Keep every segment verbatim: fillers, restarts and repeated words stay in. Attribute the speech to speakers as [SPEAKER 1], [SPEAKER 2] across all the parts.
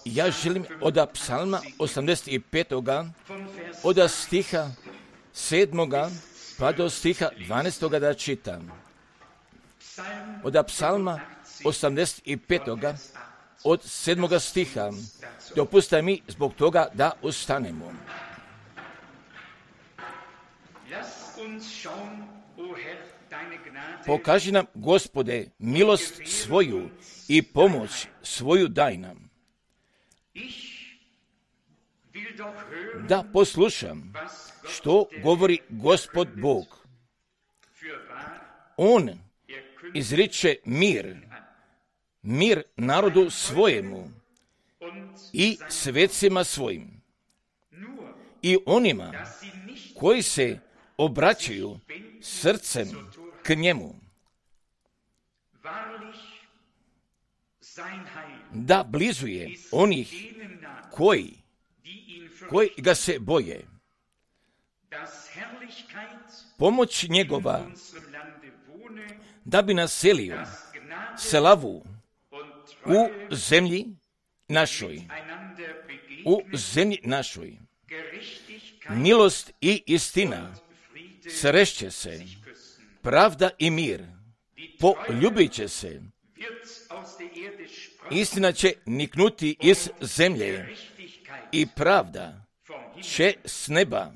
[SPEAKER 1] Ja želim od psalma osamdeset petoga od stiha sedmoga pa do stiha dvanaestoga da čitam. Od psalma osamdeset petoga od sedmoga stiha. Dopustite mi zbog toga da ustanemo. Pokaži nam, Gospode, milost svoju i pomoć svoju daj nam. Da poslušam što govori Gospod Bog. On izriče mir, mir narodu svojemu i svecima svojim i onima koji se obraćaju srcem k njemu, da blizu je onih koji, koji ga se boje. Pomoć njegova da bi naselio slavu u zemlji našoj, u zemlji našoj. Milost i istina srešće se, pravda i mir poljubit će se. Istina će niknuti iz zemlje i pravda će s neba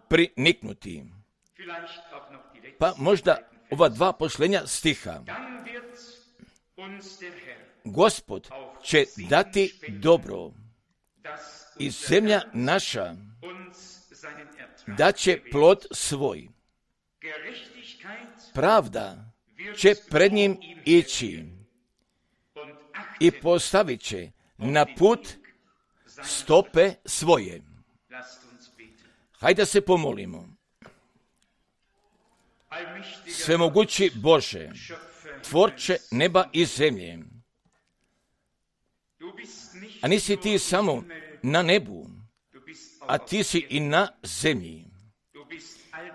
[SPEAKER 1] priniknuti. Pa možda ova dva posljednja stiha. Gospod će dati dobro i zemlja naša da će plod svoj. Pravda će pred njim ići i postavit će na put stope svoje. Hajde se pomolimo. Svemogući Bože, tvorče neba i zemlje, a nisi ti samo na nebu, a ti si i na zemlji.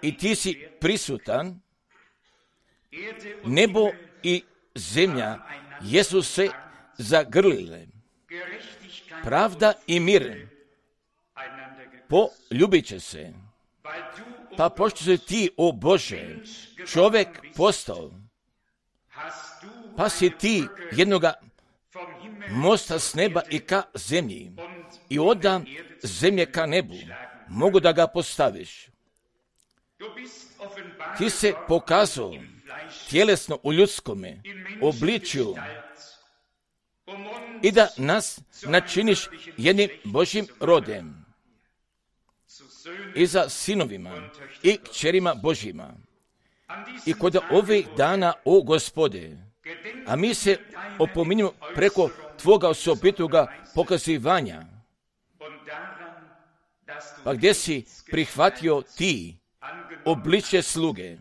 [SPEAKER 1] I ti si prisutan, nebo i zemlja jesu se zagrlile. Pravda i mir poljubit će se. Pa pošto si ti, o Bože, čovjek postao, pa si ti jednoga mosta s neba i ka zemlji i oda zemlje ka nebu, mogu da ga postaviš. Ti se pokazao tjelesno u ljudskome obličju i da nas načiniš jednim Božjim rodem i za sinovima i kćerima Božjima. I kod ovih dana, o Gospode, a mi se opominjemo preko Tvoga osobitoga pokazivanja, pa gdje si prihvatio ti obličje sluge,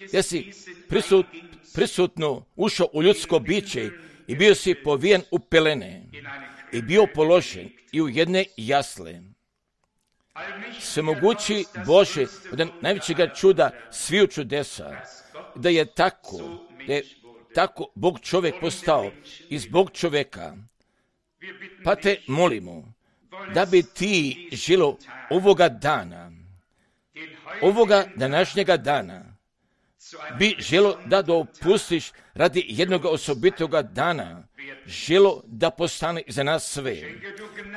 [SPEAKER 1] gdje si prisut, prisutno ušao u ljudsko biće i bio si povijen u pelene i bio položen i u jedne jasle. Svemogući Bože, od najvećega čuda sviju čudesa, da je tako, da je tako Bog čovjek postao iz Bog čovjeka. Pa te molimo da bi ti žilo ovoga dana, ovoga današnjega dana, bi želo da dopustiš radi jednog osobitoga dana, želo da postane za nas sve.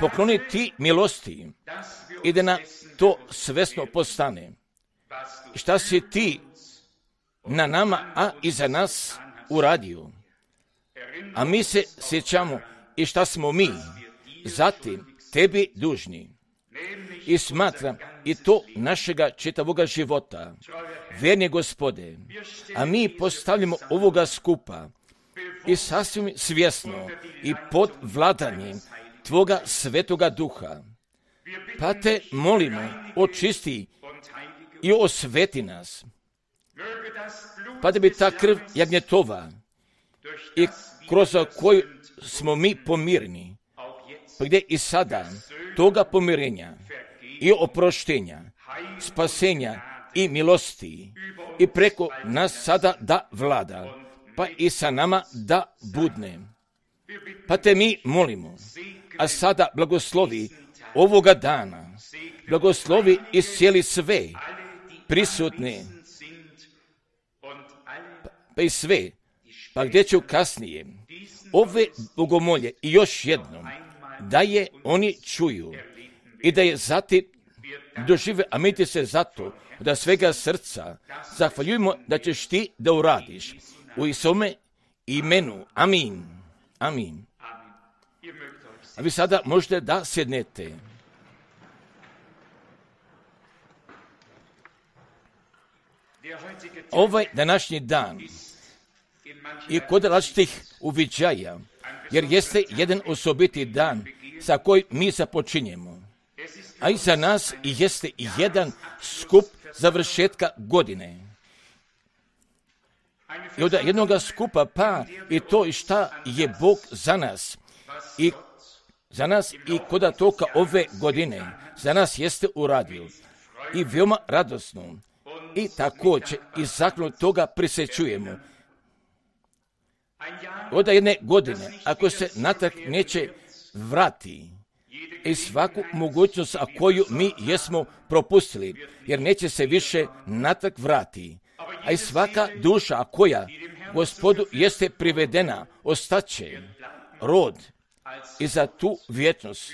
[SPEAKER 1] Pokloni ti milosti i da na to svesno postane. I šta si ti na nama, a i za nas uradio. A mi se sjećamo i šta smo mi zatim tebi dužni. I smatram i to našega čitavoga života. Verni Gospode, a mi postavljamo ovoga skupa i sasvim svjesno i pod vladanjem Tvoga svetoga duha. Pa te molimo, očisti i osveti nas. Pa da bi ta krv jagnjetova i kroz koju smo mi pomirni, pa gdje i sada toga pomirenja i oproštenja, spasenja i milosti i preko nas sada da vlada pa i sa nama da budne. Pa te mi molimo, a sada blagoslovi ovoga dana, blagoslovi i cijeli sve prisutne, pa i sve, pa gdje ću kasnije ove bogomolje i još jednom, da je oni čuju i da je zatim dožive, a mi ti se zato da svega srca zahvaljujemo da ćeš ti da uradiš u Isome imenu. Amin. Amin. A vi sada možete da sjednete. Ovaj današnji dan je kod različitih uviđaja, jer jeste jedan osobiti dan sa kojim mi započinjemo. A i za nas jeste jedan skup završetka godine. I od jednoga skupa pa i to i šta je Bog za nas. I za nas i kod toka ove godine za nas jeste uradio. I veoma radosno. I također i zakon toga prisjećujemo. Od jedne godine, ako se natrag neće vrati, i svaku mogućnost koju mi jesmo propustili, jer neće se više natrag vrati. A i svaka duša koja Gospodu jeste privedena, ostaće rod i za tu vječnost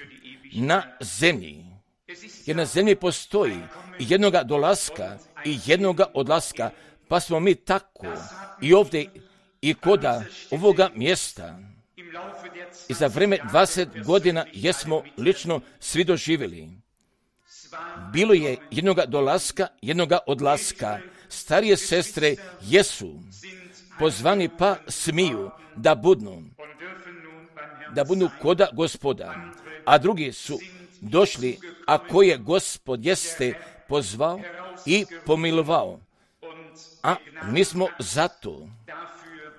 [SPEAKER 1] na zemlji. Jer na zemlji postoji jednoga dolaska i jednoga odlaska, pa smo mi tako i ovdje i koda ovoga mjesta. I za vreme dvadeset godina jesmo lično svi doživjeli. Bilo je jednoga dolaska, jednoga odlaska. Starije sestre jesu pozvani pa smiju da budnu, da budnu koda Gospoda, a drugi su došli, a koje Gospod jeste pozvao i pomilovao. A mi smo zato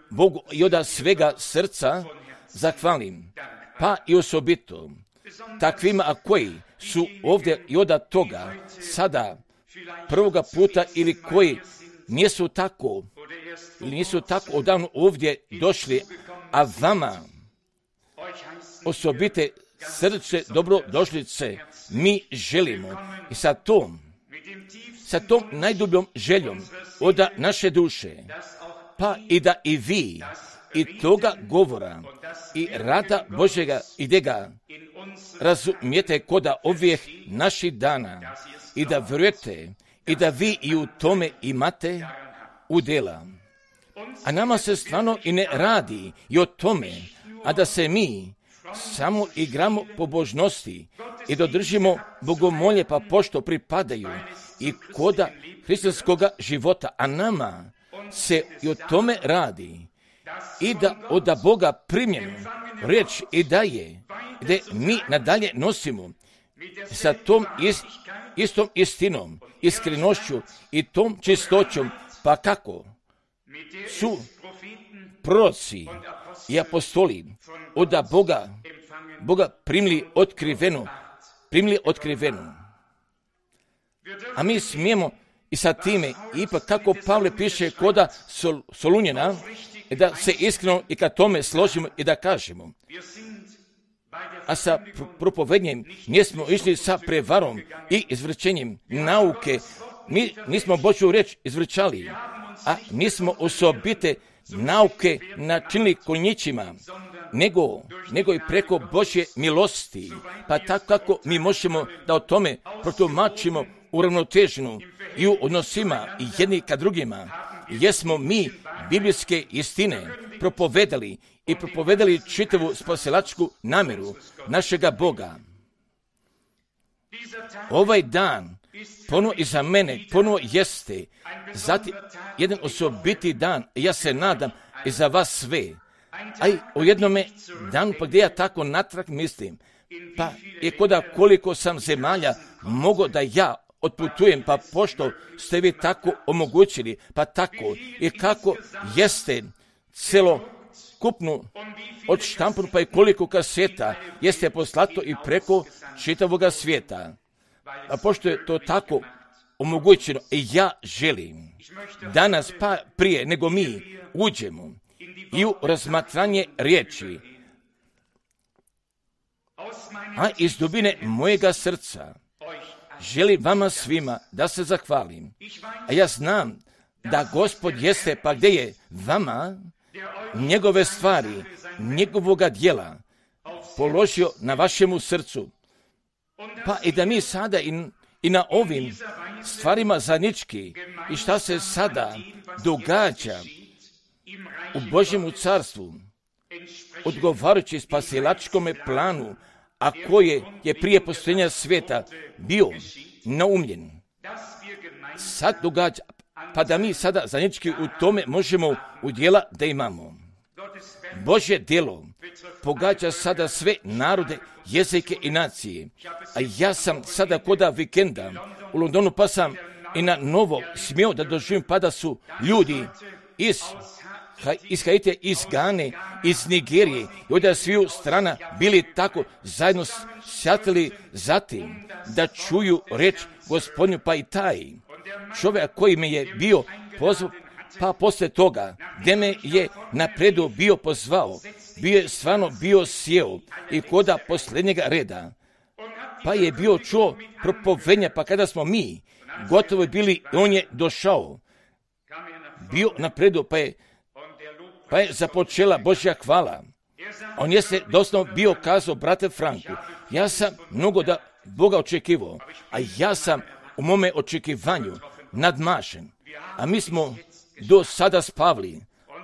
[SPEAKER 1] Bogu i od svega srca zahvalim, pa i osobito takvima a koji su ovdje i od toga sada prvoga puta ili koji nisu tako ili nisu tako odavno ovdje došli, a vama osobite srce dobrodošlice mi želimo i sa tom sa tom najdubljom željom od naše duše, pa i da i vi i toga govora i rada Božjega i da ga razumijete koda ovih naših dana i da vjerujete i da vi i u tome imate udjela. A nama se stvarno i ne radi i o tome, a da se mi samo igramo pobožnosti i dodržimo bogomolje pa pošto pripadaju i koda hrišćanskoga života, a nama se i o tome radi i da od Boga primljenu riječ i daje, gdje mi nadalje nosimo sa tom ist, istom istinom, iskrenošću i tom čistoćom, pa kako su proroci i apostoli od Boga, Boga primili otkrivenu, primili otkrivenu. A mi smijemo i sa time, ipak kako Pavle piše koda Sol, Solunjena, da se iskreno i ka tome složimo i da kažemo. A sa propovednjem nismo išli sa prevarom i izvrćenjem nauke. Mi nismo Božju riječ izvrćali, a nismo osobite nauke načinili konjićima, nego, nego i preko Božje milosti. Pa tako kako mi možemo da o tome protumačimo uravnoteženu i u odnosima i jedni ka drugima, jesmo mi biblijske istine propovedali i propovedali čitavu spasilačku namjeru našega Boga. Ovaj dan ponovo i za mene ponovo jeste zatim jedan osobiti dan, ja se nadam i za vas sve. A i o jednome danu, pa gdje ja tako natrag mislim, pa je koda koliko sam zemalja mogo da ja otputujem, pa pošto ste vi tako omogućili, pa tako i kako jeste celokupnu odštampanu, pa i koliko kaseta jeste poslato i preko čitavoga svijeta. A pošto je to tako omogućeno, ja želim danas, pa prije nego mi uđemo i u razmatranje riječi, a iz dubine mojega srca želim vama svima da se zahvalim. A ja znam da Gospod jeste, pa gdje je vama njegove stvari, njegovoga djela položio na vašemu srcu. Pa i da mi sada i, i na ovim stvarima zajednički i šta se sada događa u Božjemu carstvu, odgovarajući spasilačkome planu, a koje je prije postojanja svijeta bio naumljen. Sad događa, pa da mi sada zajednički u tome možemo udjela da imamo. Božje djelo pogađa sada sve narode, jezike i nacije. A ja sam sada koda vikenda u Londonu, pa sam i na novo smio da doživim, pa da su ljudi iz iz Haitija, iz Gane, iz Nigerije i od sviju strana bili tako zajedno sjatili zatim da čuju reč Gospodnju, pa i taj čovjek koji me je bio pozvao, pa poslije toga gdje me je napredu bio pozvao, bio je stvarno bio sjeo i koda posljednjega reda, pa je bio čuo propovednja, pa kada smo mi gotovo bili, on je došao, bio napredu, pa je Pa je započela Božja hvala. On je se doslovno bio kazao, brate Franku, ja sam mnogo da Boga očekivao, a ja sam u mome očekivanju nadmašen. A mi smo do sada spavli,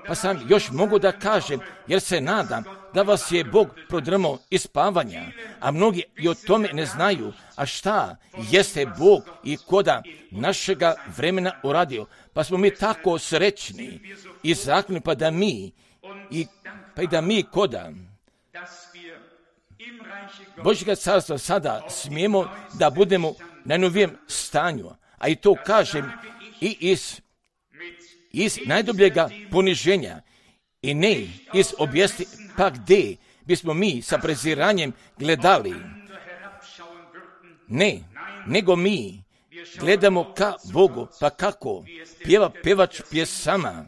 [SPEAKER 1] pa sam još mogu da kažem, jer se nadam da vas je Bog prodrmao iz spavanja, a mnogi i o tome ne znaju, a šta jeste Bog i koda našega vremena uradio. Pa smo mi tako srećni i zahvalni, pa da mi i, pa i da mi koda Božjega carstva sada smijemo da budemo na novijem stanju, a i to kažem i iz, iz najdubljega poniženja i ne iz objesti, pa gdje bismo mi sa preziranjem gledali. Ne, nego mi gledamo ka Bogu, pa kako pjeva pevač pjesama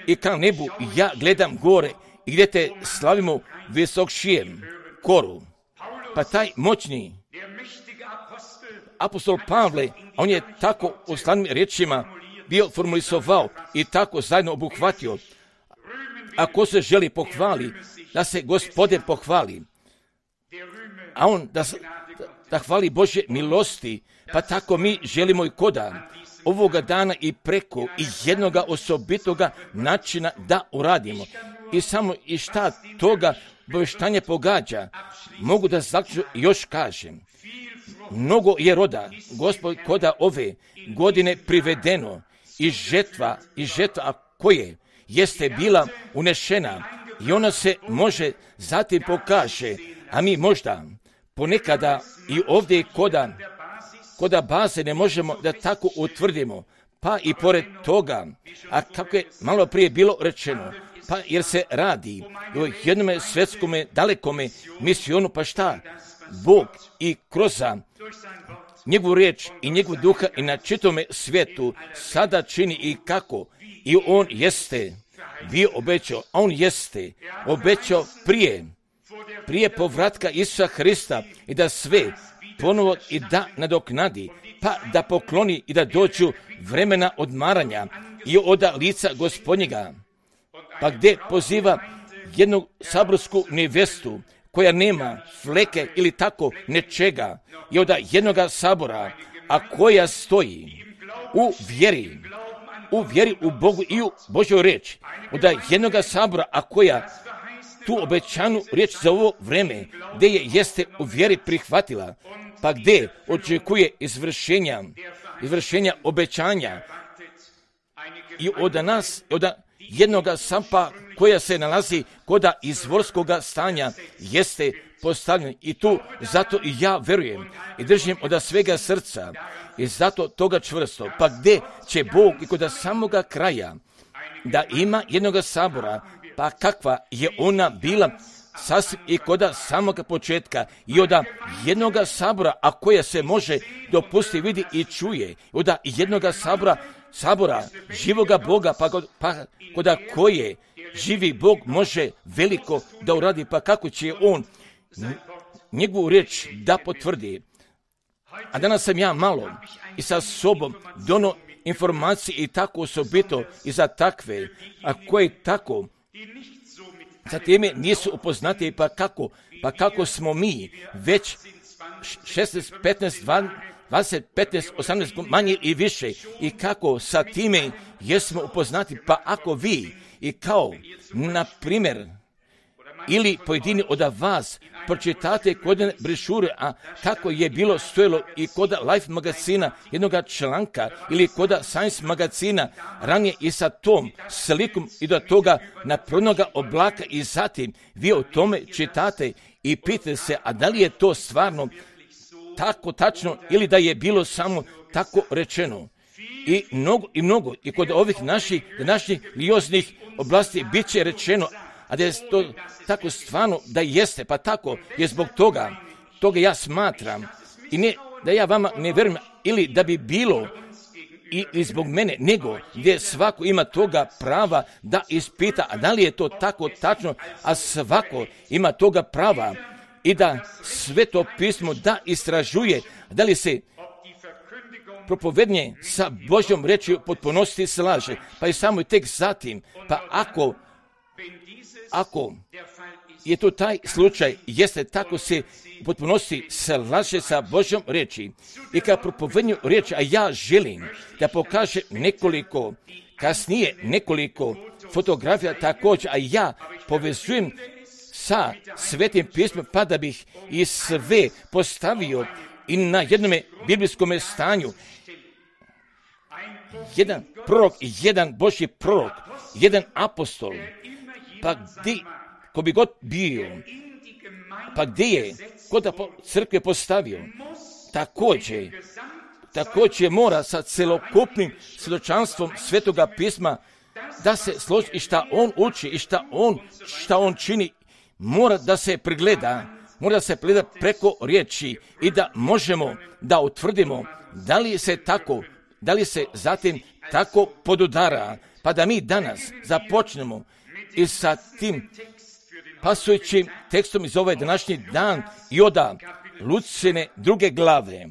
[SPEAKER 1] i ka nebu ja gledam gore i gdje te slavimo visokšijem koru. Pa taj moćni apostol Pavle, on je tako u slavnim riječima bio formulisovao i tako zajedno obuhvatio. Ako se želi pohvali, da se Gospodin pohvali, a on da, da hvali Božje milosti, pa tako mi želimo i koda ovoga dana i preko i jednoga osobitoga načina da uradimo. I samo i šta toga obavještanje pogađa, mogu da zaključu još kažem. Mnogo je roda, Gospod, koda ove godine privedeno i žetva, i žetva koje jeste bila unešena i ona se može zatim pokaže, a mi možda ponekada i ovdje koda, koda baze ne možemo da tako utvrdimo, pa i pored toga, a kako je malo prije bilo rečeno, pa jer se radi o jednome svjetskome dalekome misionu, pa šta? Bog i kroz njegovu riječ i njegovu duha i na čitome svijetu sada čini i kako. I on jeste bio obećao, on jeste obećao prije, prije povratka Isusa Hrista i da sve ponovo i da nadoknadi, pa da pokloni i da dođu vremena odmaranja i od lica Gospodnjega. Pa gdje poziva jednu saborsku nevestu koja nema fleke ili tako nečega i od jednoga sabora, a koja stoji u vjeri, u vjeri u Bogu i u Božjoj riječi, od jednoga sabora, a koja tu obećanu riječ za ovo vreme, gdje je jeste u vjeri prihvatila, pa gdje očekuje izvršenja, izvršenja obećanja i od nas, od jednoga sampa koja se nalazi koda izvorskoga stanja jeste postavljen i tu zato i ja verujem i držim od svega srca i zato toga čvrsto. Pa gdje će Bog i kod samoga kraja da ima jednoga sabora, pa kakva je ona bila sasvim i kod samoga početka i od jednoga sabora, a koja se može dopustiti, vidi i čuje, od jednoga sabora sabora živoga Boga, pa, kod, pa koda koje živi Bog može veliko da uradi, pa kako će on njegovu riječ da potvrdi. A danas sam ja malo i sa sobom dono informacije i tako osobito i za takve, a koje tako za teme nisu upoznati, pa kako, pa kako smo mi već šesnaest, petnaest, dvadeset, petnaest, osamnaest manje i više i kako sa time jesmo upoznati, pa ako vi i kao, na primjer, ili pojedini od vas pročitate kod brešure, a kako je bilo stojelo i kod Life magazina jednog članka ili kod Science magazina ranije i sa tom slikom i do toga napravljenoga oblaka i zatim vi o tome čitate i pitate se, a da li je to stvarno tako tačno ili da je bilo samo tako rečeno. I mnogo, i mnogo, i kod ovih naših današnjih religioznih oblasti bit će rečeno, a da je to tako stvarno da jeste, pa tako je zbog toga, toga ja smatram, i ne da ja vama ne vjerujem, ili da bi bilo, ili zbog mene, nego gdje svako ima toga prava da ispita, a da li je to tako tačno, a svako ima toga prava i da sve to pismo da istražuje, da li se propovednje sa Božjom rečju potpunosti slaže, pa i samo i tek zatim, pa ako Ako je to taj slučaj, jeste tako se u potpunosti slaže sa Božjom riječi i kad propovednju riječi, a ja želim da pokažem nekoliko, kasnije nekoliko fotografija također, a ja povezujem sa Svetim pismom, pa da bih i sve postavio i na jednome biblijskom stanju. Jedan prorok, jedan Božji prorok, jedan apostol, pa gdje, ko bi god bio, pa gdje je, ko da po, crkve postavio, također, također mora sa celokupnim svjedočanstvom Svetoga pisma da se složi i šta on uči i šta on, šta on čini, mora da se pregleda, mora da se pregleda preko riječi i da možemo da utvrdimo da li se tako, da li se zatim tako podudara, pa da mi danas započnemo i sa tim pasujućim tekstom iz ovaj današnji dan i oda Lucine druge glave.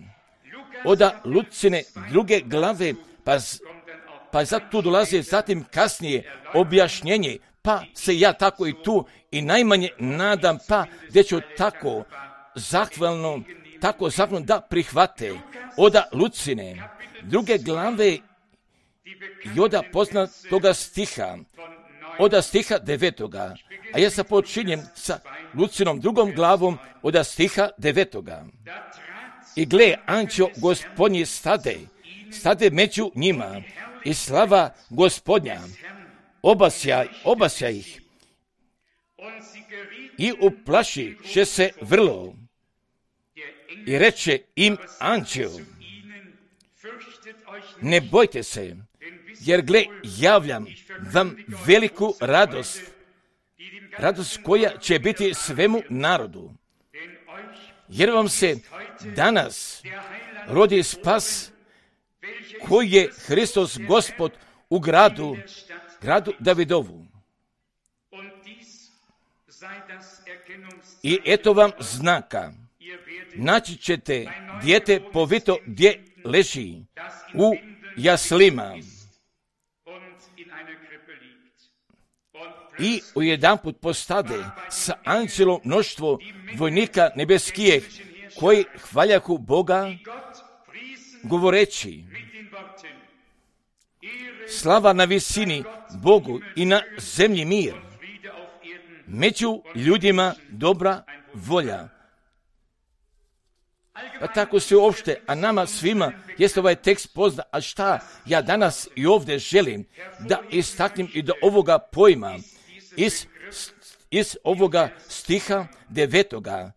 [SPEAKER 1] Oda Lucine druge glave, pa, pa zato tu dolazi zatim kasnije objašnjenje, pa se ja tako i tu i najmanje nadam, pa gdje ću tako zahvalno, tako zahvalno da prihvate oda Lucine druge glave i oda poznatoga stiha, oda stiha devetoga, a ja sa počinjem sa Lucinom drugom glavom oda stiha devetoga. I gle, anđeo Gospodnji stade, stade među njima i slava Gospodnja obasja, obasja ih i uplašiše se vrlo i reče im anđeo, ne bojte se, jer gle, javljam vam veliku radost, radost koja će biti svemu narodu, jer vam se danas rodi spas koji je Hristos Gospod u gradu, gradu Davidovu. I eto vam znaka, naći ćete dijete povito gdje leži u jaslima. I ujedanput postade sa anđelom mnoštvo vojnika nebeskijeh koji hvaljahu Boga govoreći, slava na visini Bogu i na zemlji mir, među ljudima dobra volja. Pa tako se uopšte, a nama svima jeste ovaj tekst pozna, a šta ja danas i ovdje želim da istaknem i do ovoga pojma, iz, iz ovoga stiha devetoga,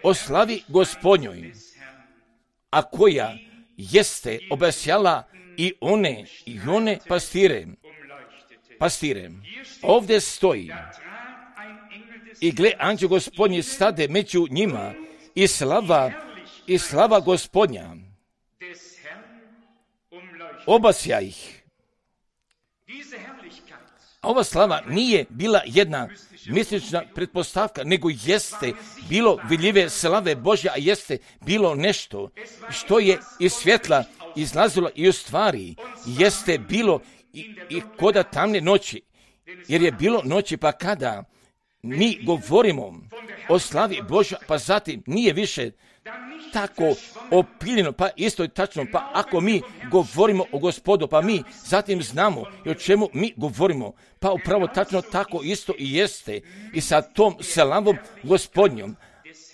[SPEAKER 1] o slavi Gospodnjoj, a koja jeste obasjala i one, i one pastire, pastire. Ovdje stoji, i gle, anđeo Gospodnji stade među njima, i slava, i slava Gospodnja obasja ih. A ova slava nije bila jedna mistična pretpostavka, nego jeste bilo vidljive slave Božje, a jeste bilo nešto što je iz svjetla izlazilo i u stvari jeste bilo i, i koda tamne noći, jer je bilo noći, pa kada mi govorimo o slavi Božja, pa zatim nije više tako opiljeno, pa isto je tačno, pa ako mi govorimo o Gospodu, pa mi zatim znamo i o čemu mi govorimo, pa upravo tačno tako isto i jeste i sa tom slavom Gospodnjom.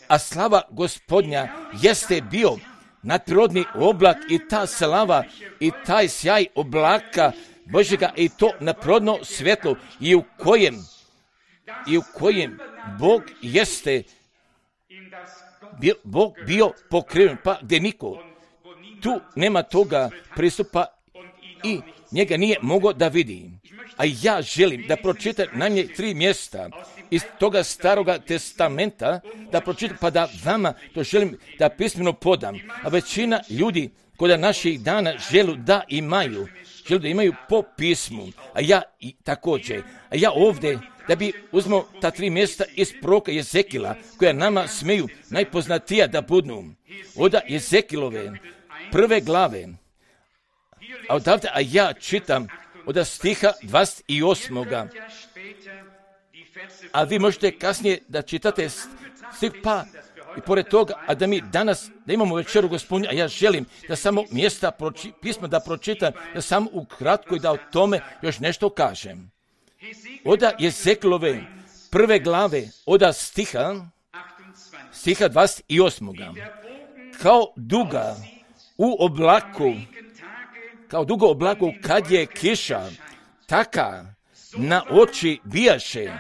[SPEAKER 1] A slava Gospodnja jeste bio nadprirodni oblak i ta slava i taj sjaj oblaka Božjega i to nadprirodno svjetlo i u kojem i u kojem Bog jeste bio, Bog bio pokriven, pa gdje niko tu nema toga pristupa i njega nije mogao da vidi. A ja želim da pročitam najmanje tri mjesta iz toga staroga testamenta, da pročitam, pa da vama to želim da pismeno podam. A većina ljudi kod naših dana želu da imaju, želu da imaju po pismu, a ja i također. A ja ovdje, da bi uzmo ta tri mjesta iz proroka Jezekila, koja nama smeju najpoznatija da budu. Oda Jezekilove prve glave, a odavde, a ja čitam od stiha dvadeset osam. A vi možete kasnije da čitate stih, pa i pored toga, a da mi danas, da imamo večeru Gospodnju, a ja želim da samo mjesta proči, pisma da pročitam, da samo ukratko i da o tome još nešto kažem. Oda Jezekilove prve glave, oda stiha, stiha dvadeset osam. Kao duga u oblaku, kao dugo oblaku kad je kiša, taka na oči bijaše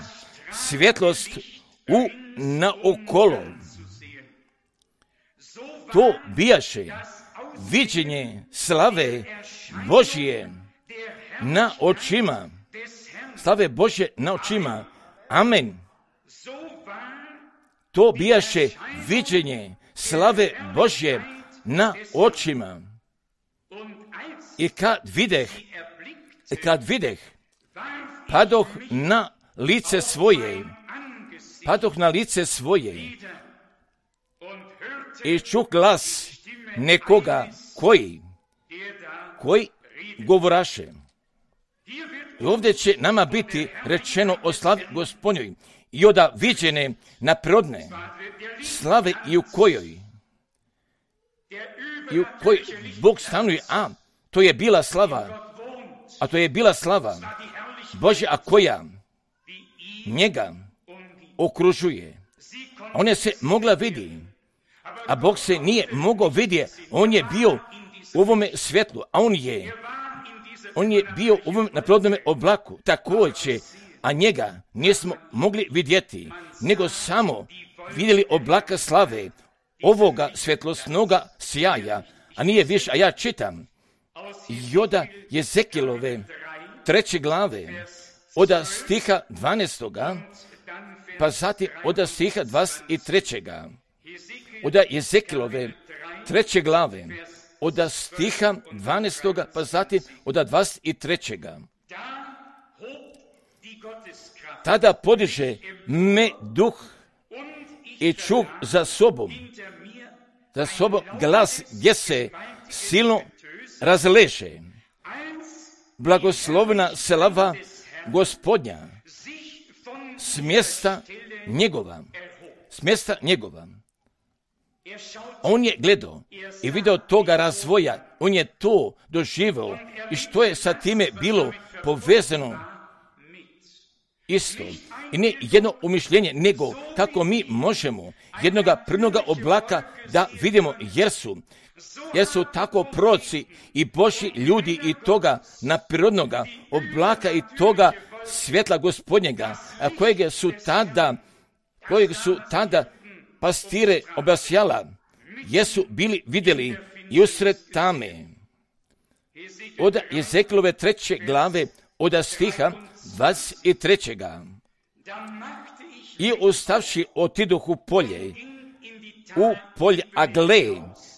[SPEAKER 1] svjetlost u naokolo. To bijaše viđenje slave Božje na očima. Slave Božje na očima. Amen. To bijaše viđenje slave Božje na očima. I kad videh, kad videh, padoh na lice svoje, padoh na lice svoje i čuh glas nekoga koji, koji govoraše. I ovdje će nama biti rečeno o slavi Gospodnjoj i oda viđene naprodne slave i u kojoj, i u kojoj Bog stanuje, a to je bila slava, a to je bila slava Božja, a koja njega okružuje. Ona se mogla vidjeti, a Bog se nije mogao vidjeti. On je bio u ovome svjetlu, a on je, on je bio u ovom naprodnome oblaku, također, a njega nismo mogli vidjeti, nego samo vidjeli oblaka slave, ovoga svjetlosnoga sjaja, a nije više, a ja čitam, Joda Jezekilove treće glave, oda stiha dvanaestoga, pa zatim oda stiha dvadeset trećega. Oda Jezekilove treće glave, oda stiha dvanaestoga, pa zatim oda dvadeset trećega. Tada podiže me duh i čuh za sobom, za sobom glas gdje se silno razleže. Blagoslovna slava Gospodnja s mjesta njegova, s mjesta njegova. On je gledao i video toga razvoja, on je to doživio i što je sa time bilo povezano isto. I ne jedno umišljenje, nego kako mi možemo jednoga prvnoga oblaka da vidimo, jer su, jer su tako proroci i Božji ljudi i toga naprirodnoga oblaka i toga svjetla Gospodnjega, a kojeg su tada, kojeg su tada pastire obasjala, jesu bili vidjeli i usred tame. Od Jezekilove treće glave, od stiha dvadeset trećega. I ustavši otidoh u polje, u polje, a gle,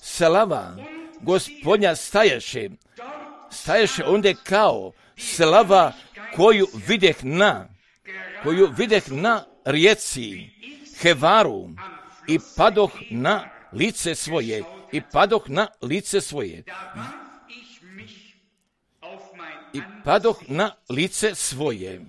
[SPEAKER 1] slava Gospodnja stajaše staješe onda kao slava koju videh na, koju videh na rijeci Hevaru i padoh na lice svoje, i padoh na lice svoje, i padoh na lice svoje.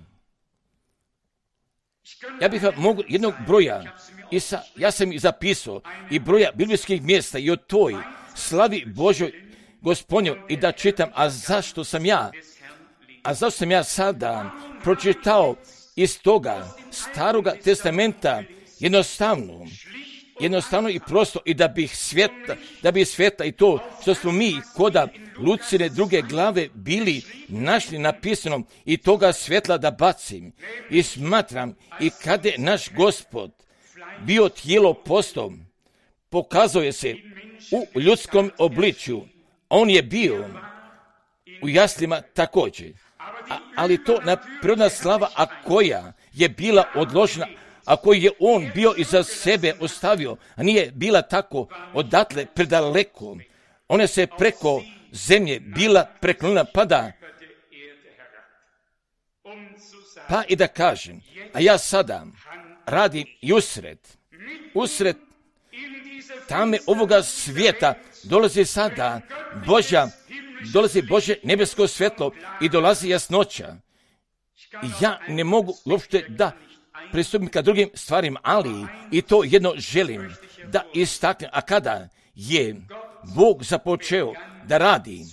[SPEAKER 1] Ja bih vam mogu jednog broja, i sa, ja sam i zapisao, i broja biblijskih mjesta i o toj slavi Božoj Gospodnjoj i da čitam, a zašto sam ja, a zašto sam ja sada pročitao iz toga staroga testamenta jednostavno, jednostavno i prosto, i da bih svjetla, da bih svjetla i to što smo mi koda Lucine druge glave bili našli napisano i toga svjetla da bacim. I smatram, i kada je naš Gospod bio tijelo postao, pokazao je se u ljudskom obličju. On je bio u jaslima također. A, ali to na prirodna slava, a koja je bila odložena, a koju je on bio iza sebe ostavio, a nije bila tako odatle predaleko. Ona se preko zemlje bila preklonila, pa da, pa i da kažem, a ja sada radim i usred, usred tame ovoga svijeta dolazi sada Božja, dolazi Božje nebesko svjetlo i dolazi jasnoća. I ja ne mogu uopšte da pristupim ka drugim stvarima, ali i to jedno želim da istaknem. A kada je Bog započeo da radi,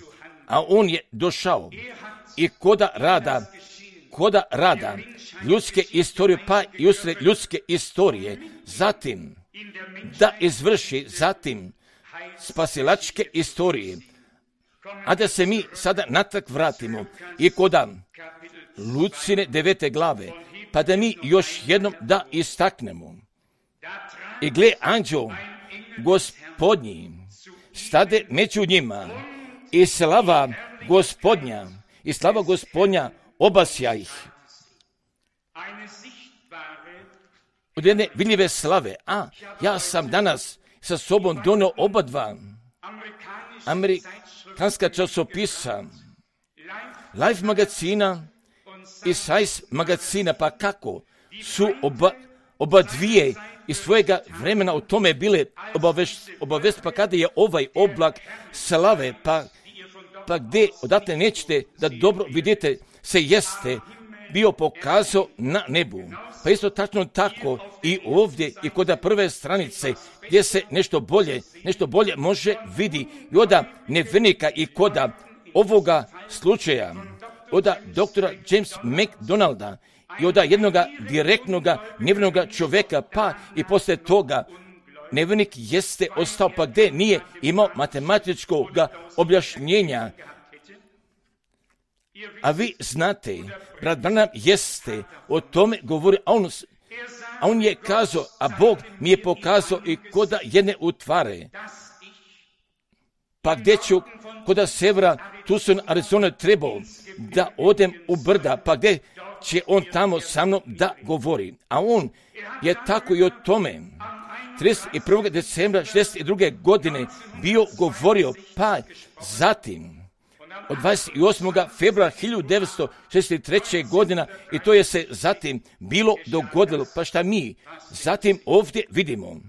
[SPEAKER 1] a on je došao i koda rada, koda rada ljudske istorije, pa i usred ljudske istorije, zatim da izvrši zatim spasilačke istorije, a da se mi sada natrag vratimo i koda Lucine devete glave, pa da mi još jednom da istaknemo. I gle, anđeo Gospodnji stade među njima i slava Gospodnja, i slava Gospodnja obasja ih. Od jedne vidljive slave, a ja sam danas sa sobom donio oba dva amerikanska časopisa, Life magazina i Size magazina, pa kako su oba, oba dvije iz svojega vremena o tome bile obavest, obavest, pa kada je ovaj oblak slave, pa, pa gdje odatle nećete da dobro vidite, se jeste bio pokazao na nebu. Pa isto tačno tako i ovdje i kod prve stranice gdje se nešto bolje, nešto bolje može vidi i od nevernika i kod ovoga slučaja, od doktora James McDonalda i od jednoga direktnoga nevernoga čovjeka, pa i poslije toga nevernik jeste ostao, pa gdje nije imao matematičkog objašnjenja. A vi znate, brat Branham jeste o tome govori, a on, a on je kazao, a Bog mi je pokazao i koda jedne utvare. Pa gdje ću, koda severa Tucson, Arizona trebao da odem u brda, pa gdje će on tamo sa mnom da govori. A on je tako i o tome trideset prvog decembra šezdeset druge godine bio govorio, pa zatim od dvadeset osmog februara hiljadu devetsto šezdeset treće godina i to je se zatim bilo dogodilo. Pa šta mi zatim ovdje vidimo?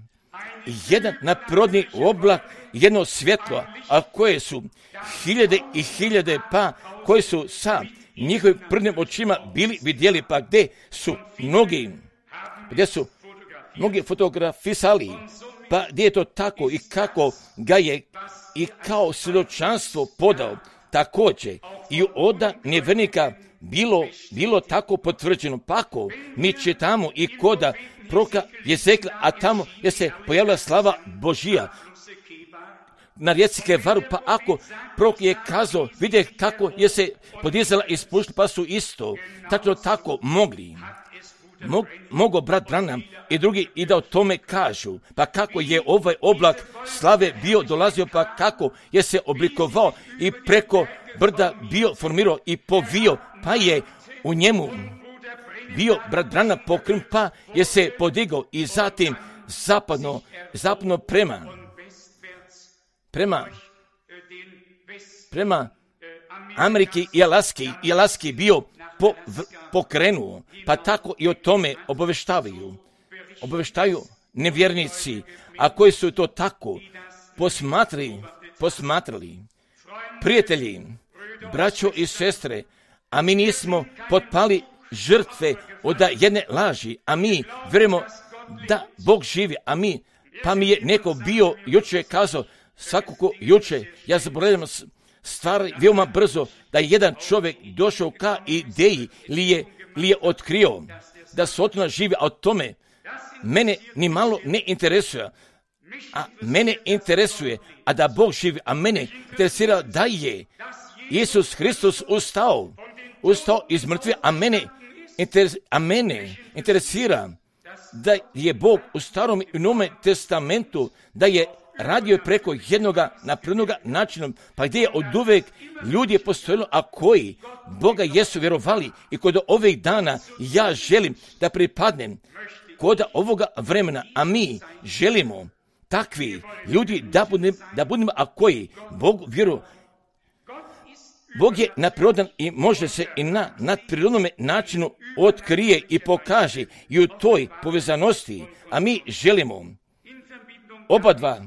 [SPEAKER 1] Jedan naprirodni oblak, jedno svjetlo, a koje su hiljade i hiljade, pa koji su sa njihovim prvnim očima bili vidjeli, pa gdje su mnogi, gdje su mnogi fotografisali, pa gdje je to tako i kako ga je i kao svjedočanstvo podao. Također i od nevernika bilo, bilo tako potvrđeno. Pa ako mi čitamo i koda proka Jezekla, a tamo je se pojavila slava Božija na rijeci Kevaru, pa ako prok je kazao, vidje kako je se podizala i spuštila, pa su isto tako tako mogli. Mog, mogo brat Branham i drugi i da o tome kažu, pa kako je ovaj oblak slave bio dolazio, pa kako je se oblikovao i preko brda bio formirao i povio, pa je u njemu bio brat Branham pokren, pa je se podigao i zatim zapadno, zapadno prema, prema, prema Amerike i Alaske, i Alaske bio po, v, pokrenuo, pa tako i o tome obaveštavaju. Obaveštaju nevjernici, a koji su to tako posmatrali, posmatrali. Prijatelji, braćo i sestre, a mi nismo potpali žrtve od jedne laži, a mi vjerujemo da Bog živi, a mi, pa mi je neko bio juče kazao, svakako juče, ja zaboravljam stvari veoma brzo, da je jedan čovjek došao ka ideji ili je, ili je otkrio da Sotona živi, a o tome mene ni malo ne interesuje, a mene interesuje, a da Bog živi, a mene interesira da je Isus Hristos ustao, ustao iz mrtve, a mene, interes, a mene interesira da je Bog u Starom i Novome testamentu, da je radio preko jednoga naprednoga načinom, pa gdje je od uvek ljudi postojilo, a koji Boga jesu vjerovali i kod ovih dana ja želim da pripadnem kod ovoga vremena, a mi želimo takvi ljudi da budemo, da budemo a koji Bog vjeruju. Bog je naprirodan i može se i na nadprirodnom načinu otkrije i pokaže i u toj povezanosti, a mi želimo oba dva,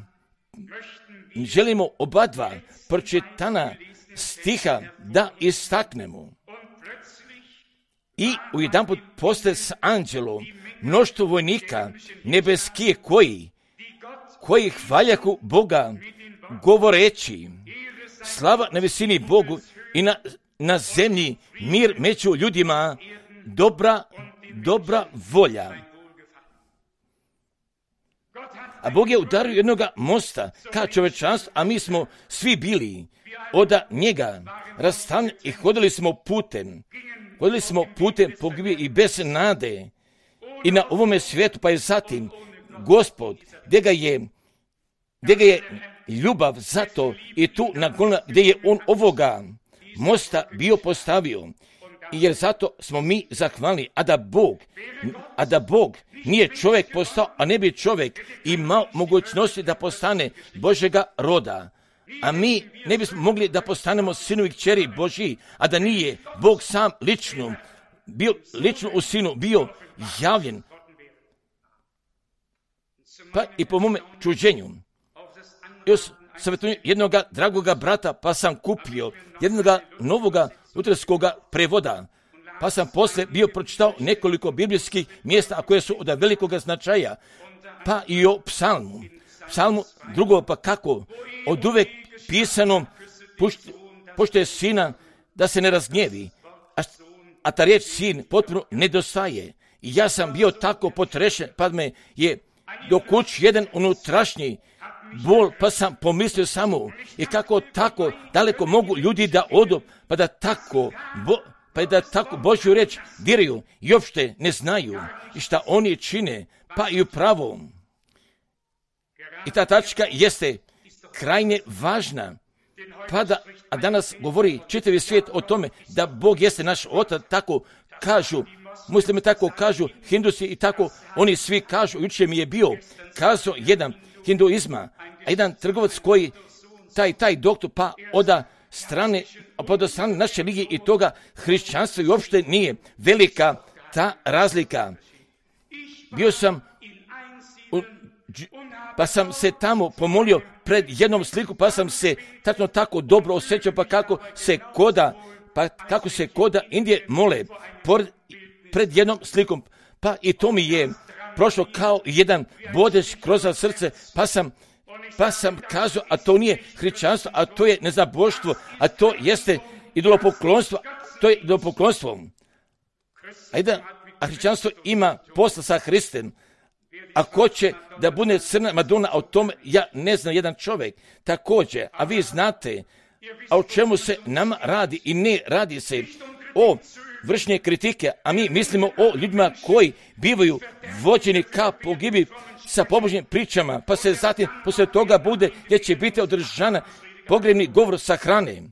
[SPEAKER 1] želimo oba dva pročitana stiha da istaknemo. I u jedan put postaje s anđelom mnoštvo vojnika nebeskije koji, koji hvaljahu Boga govoreći, slava na visini Bogu i na, na zemlji mir među ljudima, dobra, dobra volja. A Bog je udario jednoga mosta ka čovečanstvu, a mi smo svi bili od njega rastavljeni i hodili smo putem. Hodili smo putem pogibije i bez nade i na ovome svijetu, pa je zatim Gospod, gdje ga je, gdje ga je ljubav zato i tu na Golgoti gdje je on ovoga mosta bio postavio. Jer zato smo mi zahvalni, a da Bog, a da Bog nije čovjek postao, a ne bi čovjek imao mogućnosti da postane Božjega roda. A mi ne bismo mogli da postanemo sinovi kćeri Božji, a da nije Bog sam lično, bio lično u sinu, bio javljen. Pa i po mome čuđenju, još savjetujem jednoga dragoga brata, pa sam kupio jednoga novoga lutherskoga prevoda, pa sam posle bio pročitao nekoliko biblijskih mjesta, a koje su od velikoga značaja, pa i o psalmu. Psalmu drugo, pa kako, od uvek pisano, pošto je sina da se ne razgnjevi, a, a ta riječ sin potpuno nedostaje. I ja sam bio tako potrešen, pa me je do kući jedan unutrašnji bol, pa sam pomislio samo i kako tako daleko mogu ljudi da odu, pa da tako, bo, pa da tako Božju reč diraju i uopšte ne znaju i šta oni čine, pa i upravo. I ta tačka jeste krajnje važna, pa da, a danas govori čitavi svijet o tome da Bog jeste naš otac, tako kažu, muslimi tako kažu, hindusi i tako oni svi kažu. Jučer mi je bio kazao jedan hinduizma, a jedan trgovac koji, taj, taj doktor, pa oda strane, pa od strane naše religije i toga hrišćanstva i uopšte nije velika ta razlika. Bio sam, u, pa sam se tamo pomolio pred jednom sliku, pa sam se tačno tako dobro osjećao, pa kako se koda, pa kako se koda Indije mole pored, pred jednom slikom, pa i to mi je prošlo kao jedan bodeć kroz srce, pa sam, pa sam kazao, a to nije hrišćanstvo, a to je nezaboštvo, a to jeste idolopoklonstvo, to je idolopoklonstvo. A, da, a hrišćanstvo ima posla sa Hristom, a ko će da bude crna Madonna, a o tome ja ne znam jedan čovjek, također, a vi znate, a o čemu se nama radi i ne radi se o vršnje kritike, a mi mislimo o ljudima koji bivaju vođeni ka pogibi sa pobožnim pričama, pa se zatim posle toga bude gdje će biti održana pogrebni govor sa hrane.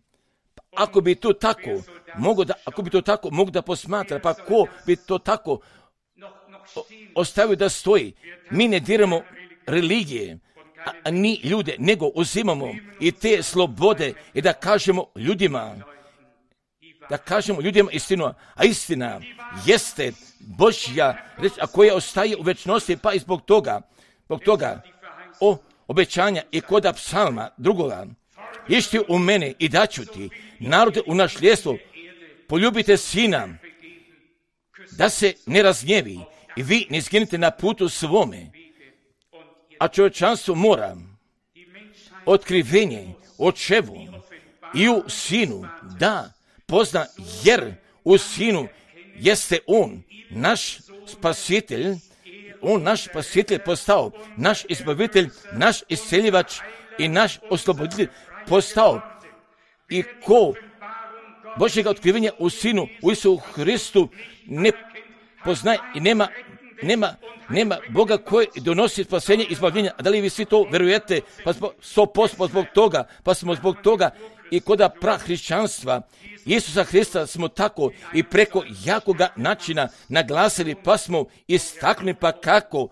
[SPEAKER 1] Ako bi to tako mogu da, ako bi to tako mogu da posmatra, pa ko bi to tako ostavio da stoji? Mi ne diramo religije, a, a ni ljude, nego uzimamo i te slobode i da kažemo ljudima da kažemo ljudima istinu, a istina jeste Božja reč, a koja ostaje u večnosti, pa i zbog toga, zbog toga, o obećanja i koda psalma drugoga, išti u mene i daću ti narode u nasljedstvo, poljubite sina, da se ne razgnjevi i vi ne izginite na putu svome, a čovječanstvo mora otkrivenje očevu i u sinu da pozna, jer u sinu jeste on, naš spasitelj, on naš spasitelj postao, naš izbavitelj, naš isceljivač i naš osloboditelj postao. I ko Božjega otkrivenja u sinu, u Isusu Hristu ne poznaje i nema, nema, nema Boga koji donosi spasenje i izbavljenja. A da li vi svi to verujete? Pa smo sto posto zbog toga, pa smo zbog toga i koda prahrišćanstva Isusa Hrista smo tako i preko jakoga načina naglasili, pa smo istaknuli, pa kako,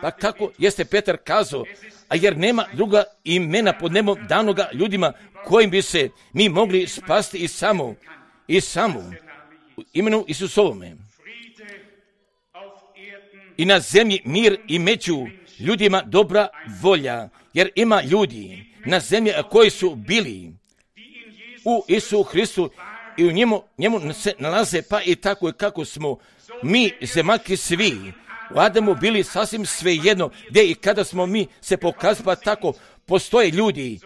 [SPEAKER 1] pa kako jeste Petar kazao, a jer nema druga imena pod nebom danoga ljudima kojim bi se mi mogli spasti i samo, i samo u imenu Isusovome. I na zemlji mir i među ljudima dobra volja, jer ima ljudi na zemlji koji su bili u Isusu Hristu i u njemu, njemu se nalaze, pa i tako i kako smo mi zemaljki svi u Adamu bili sasvim svejedno gdje i kada smo mi se pokazali, pa tako postoje ljudi,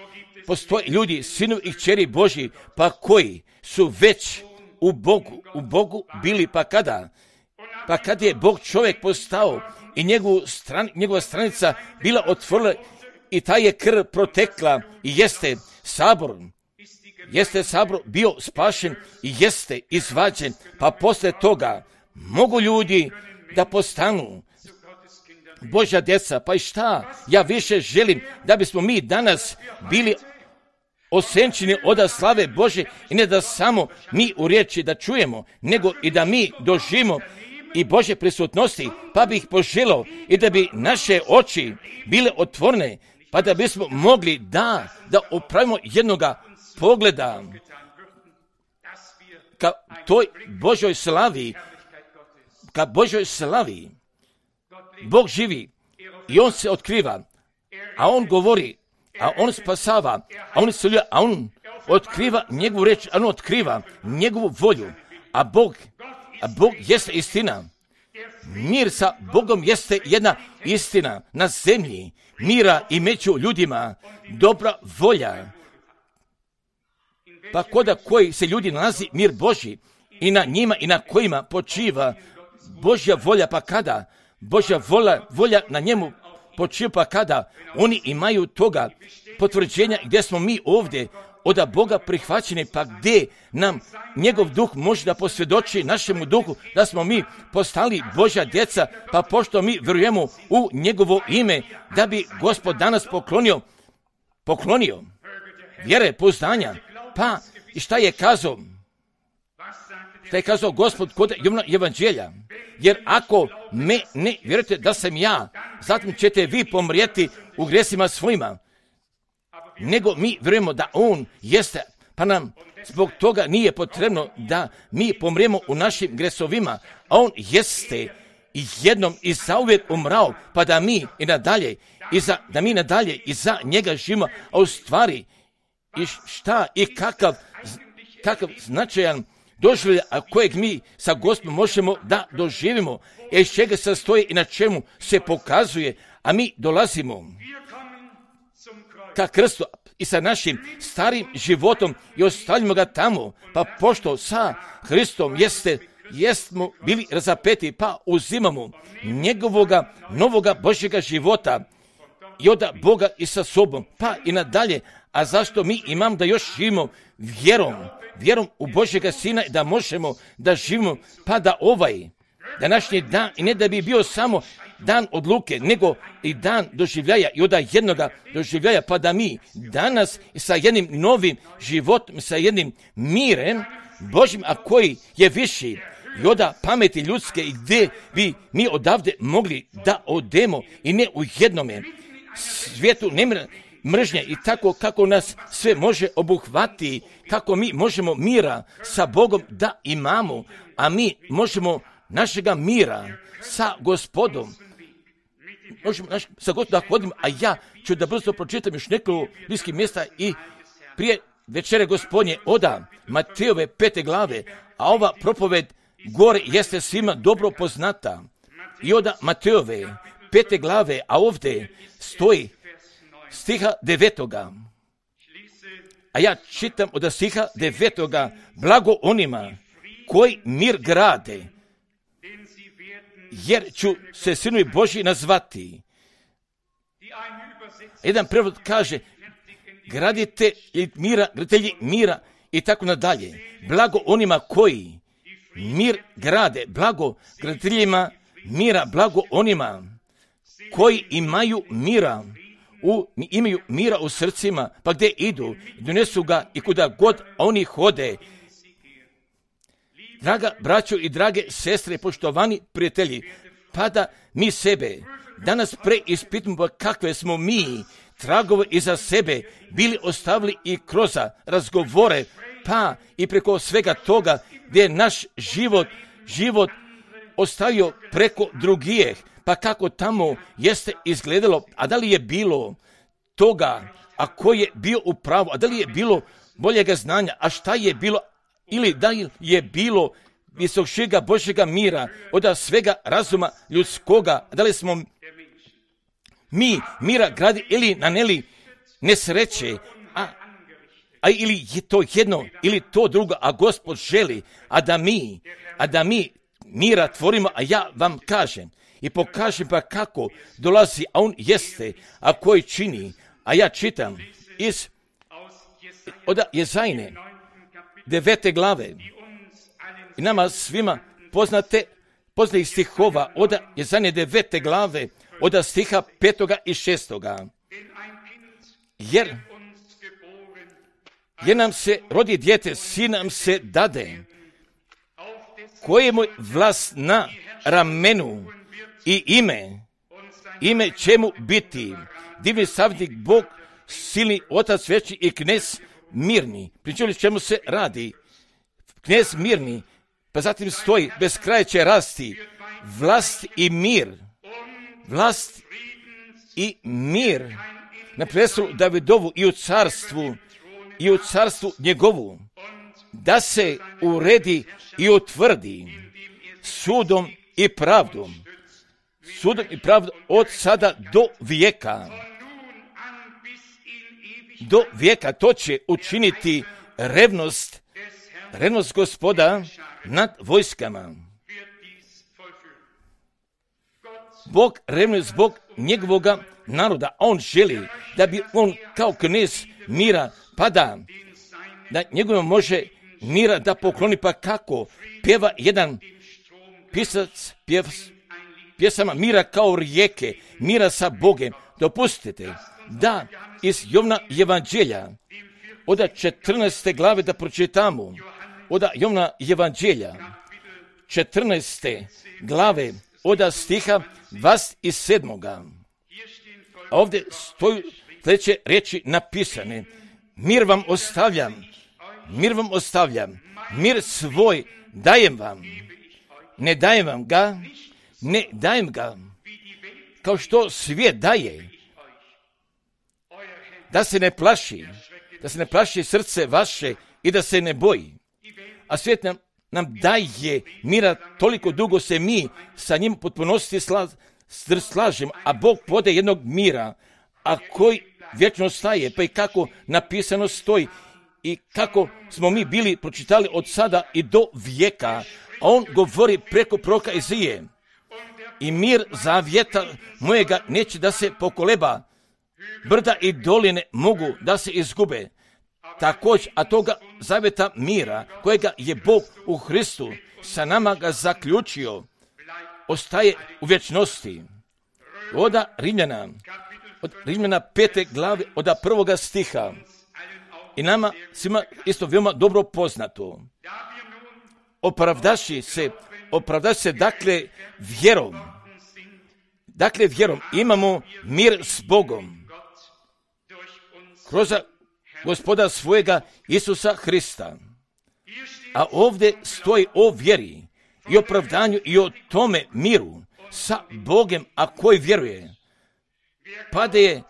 [SPEAKER 1] postoje ljudi, sinovi i kćeri Božji, pa koji su već u Bogu, u Bogu bili, pa kada? Pa kad je Bog čovjek postao i njegovu stran, njegova stranica bila otvorila i ta je krv protekla i jeste sabor, jeste sabor bio spašen i jeste izvađen, pa poslije toga mogu ljudi da postanu Božja djeca. Pa i šta? Ja više želim da bismo mi danas bili osenčeni od slave Bože i ne da samo mi u riječi da čujemo, nego i da mi doživimo i Božje prisutnosti, pa bih poželio i da bi naše oči bile otvorene, pa da bismo mogli da, da opravimo jednoga pogleda ka toj Božoj slavi, ka Božoj slavi. Bog živi i On se otkriva, a On govori, a On spasava, a On isceljuje, a On otkriva njegovu reč, a On otkriva njegovu volju, a Bog, a Bog jeste istina. Mir sa Bogom jeste jedna istina na zemlji, mira i među ljudima, dobra volja. Pa koda koji se ljudi nalazi mir Božji i na njima i na kojima počiva Božja volja, pa kada Božja volja, volja na njemu počiva, pa kada oni imaju toga potvrđenja gdje smo mi ovdje od Boga prihvaćeni, pa gdje nam njegov duh može da posvjedoči našemu duhu da smo mi postali Božja djeca, pa pošto mi vjerujemo u njegovo ime, da bi Gospod danas poklonio, poklonio vjere, pouzdanja. Pa i šta je kazao? Šta je kazao Gospod kod Jovana evanđelja? Jer ako me ne vjerujete da sam ja, zatim ćete vi pomrijeti u grijesima svojima. Nego mi vjerujemo da On jeste, pa nam zbog toga nije potrebno da mi pomrijemo u našim gresovima, a On jeste i jednom i zauvijek umrao, pa da mi i nadalje, i za, da mi nadalje i za njega živimo, a u stvari i šta i kakav, kakav značajan doživljaj, a kojeg mi sa Gospodom možemo da doživimo, i iz čega se stoji i na čemu se pokazuje, a mi dolazimo ka krstu i sa našim starim životom i ostavljamo ga tamo, pa pošto sa Hristom jeste, jesmo bili razapeti, pa uzimamo njegovoga novoga Božjega života i od Boga i sa sobom, pa i nadalje. A zašto mi imam da još živimo vjerom, vjerom u Božjega Sina, da možemo da živimo, pa da ovaj današnji dan, i ne da bi bio samo dan odluke, nego i dan doživljaja i od jednoga doživljaja, pa da mi danas sa jednim novim životom, sa jednim mirem Božjim, a koji je viši i od pameti ljudske, i gdje bi mi odavde mogli da odemo i ne u jednome svijetu nemira, mržnje i tako kako nas sve može obuhvati, kako mi možemo mira sa Bogom da imamo, a mi možemo našega mira sa Gospodom. Možemo naš, sa Gospodom da hodimo, a ja ću da brzo pročitam još nekoliko bliskih mjesta i prije večere Gospodnje oda Matejove pete glave, a ova propoved gore jeste svima dobro poznata. I oda Matejove pete glave, a ovdje stoji stiha devetoga. A ja čitam od stiha devetoga, blago onima koji mir grade, jer ću se sinovi Božji nazvati. Jedan prevod kaže, gradite mira, graditelji mira i tako nadalje. Blago onima koji mir grade, blago graditeljima mira, blago onima koji imaju mira, u, imaju mira u srcima, pa gdje idu, donesu ga i kuda god oni hode. Draga braćo i drage sestre, poštovani prijatelji, pa da mi sebe danas preispitamo kakve smo mi tragove iza sebe bili ostavili i kroz razgovore, pa i preko svega toga gdje je naš život, život ostavio preko drugih, pa kako tamo jeste izgledalo, a da li je bilo toga, a ko je bio u pravu, a da li je bilo boljega znanja, a šta je bilo, ili da je bilo visokšega Božjega mira od svega razuma ljudskoga, da li smo mi mira gradi ili naneli nesreće, a, a ili je to jedno ili to drugo, a Gospod želi, a da mi, a da mi mira tvorimo, a ja vam kažem i pokažem pa kako dolazi, a on jeste, a koji čini, a ja čitam iz od Jezajne devete glave i nama svima poznate poznatih stihova od Jezajne devete glave od stiha petoga i šestoga. Jer, jer nam se rodi dijete, sin nam se dade, kojemu vlast na ramenu i ime, ime čemu biti, divni savjetnik, Bog, silni Otac veći i knez mirni. Pričali čemu se radi? Knez mirni, pa zatim stoji, bez kraja će rasti, vlast i mir, vlast i mir na prestolu Davidovu i u carstvu, i u carstvu njegovu, da se uredi i utvrdi sudom i pravdom, sudom i pravdom od sada do vijeka. Do vijeka to će učiniti revnost, revnost Gospoda nad vojskama. Bog revnuje zbog njegovoga naroda. On želi da bi on kao knez mira pada, da njegovom može mira da pokloni, pa kako pjeva jedan pisac pjev, pjesama mira kao rijeke, mira sa Bogem. Dopustite da iz Jovna evanđelja od četrnaeste glave da pročitamo, od Jovna evanđelja četrnaeste glave od stiha dvadeset sedmoga. A ovdje stoju sljedeće riječi napisane: mir vam ostavljam, mir vam ostavljam, mir svoj dajem vam, ne dajem vam ga, ne dajem ga kao što svijet daje, da se ne plaši, da se ne plaši srce vaše i da se ne boji. A svijet nam, nam daje mira, toliko dugo se mi sa njim potpunosti sla, slažemo, a Bog pode jednog mira, a koji vječno staje, pa i kako napisano stoji i kako smo mi bili pročitali od sada i do vijeka, a on govori preko proroka Izije: i mir zavjeta mojega neće da se pokoleba, brda i doline mogu da se izgube. Također, a toga zavjeta mira kojega je Bog u Hristu sa nama ga zaključio, ostaje u vječnosti. Oda Rimljana, od Rimljana pete glave, od prvoga stiha, i nama svima isto veoma dobro poznato. Opravdaši se, opravdaši se dakle vjerom. Dakle vjerom imamo mir s Bogom kroz Gospoda svojega Isusa Hrista. A ovdje stoji o vjeri i opravdanju i o tome miru sa Bogom, a koji vjeruje. Pa da je,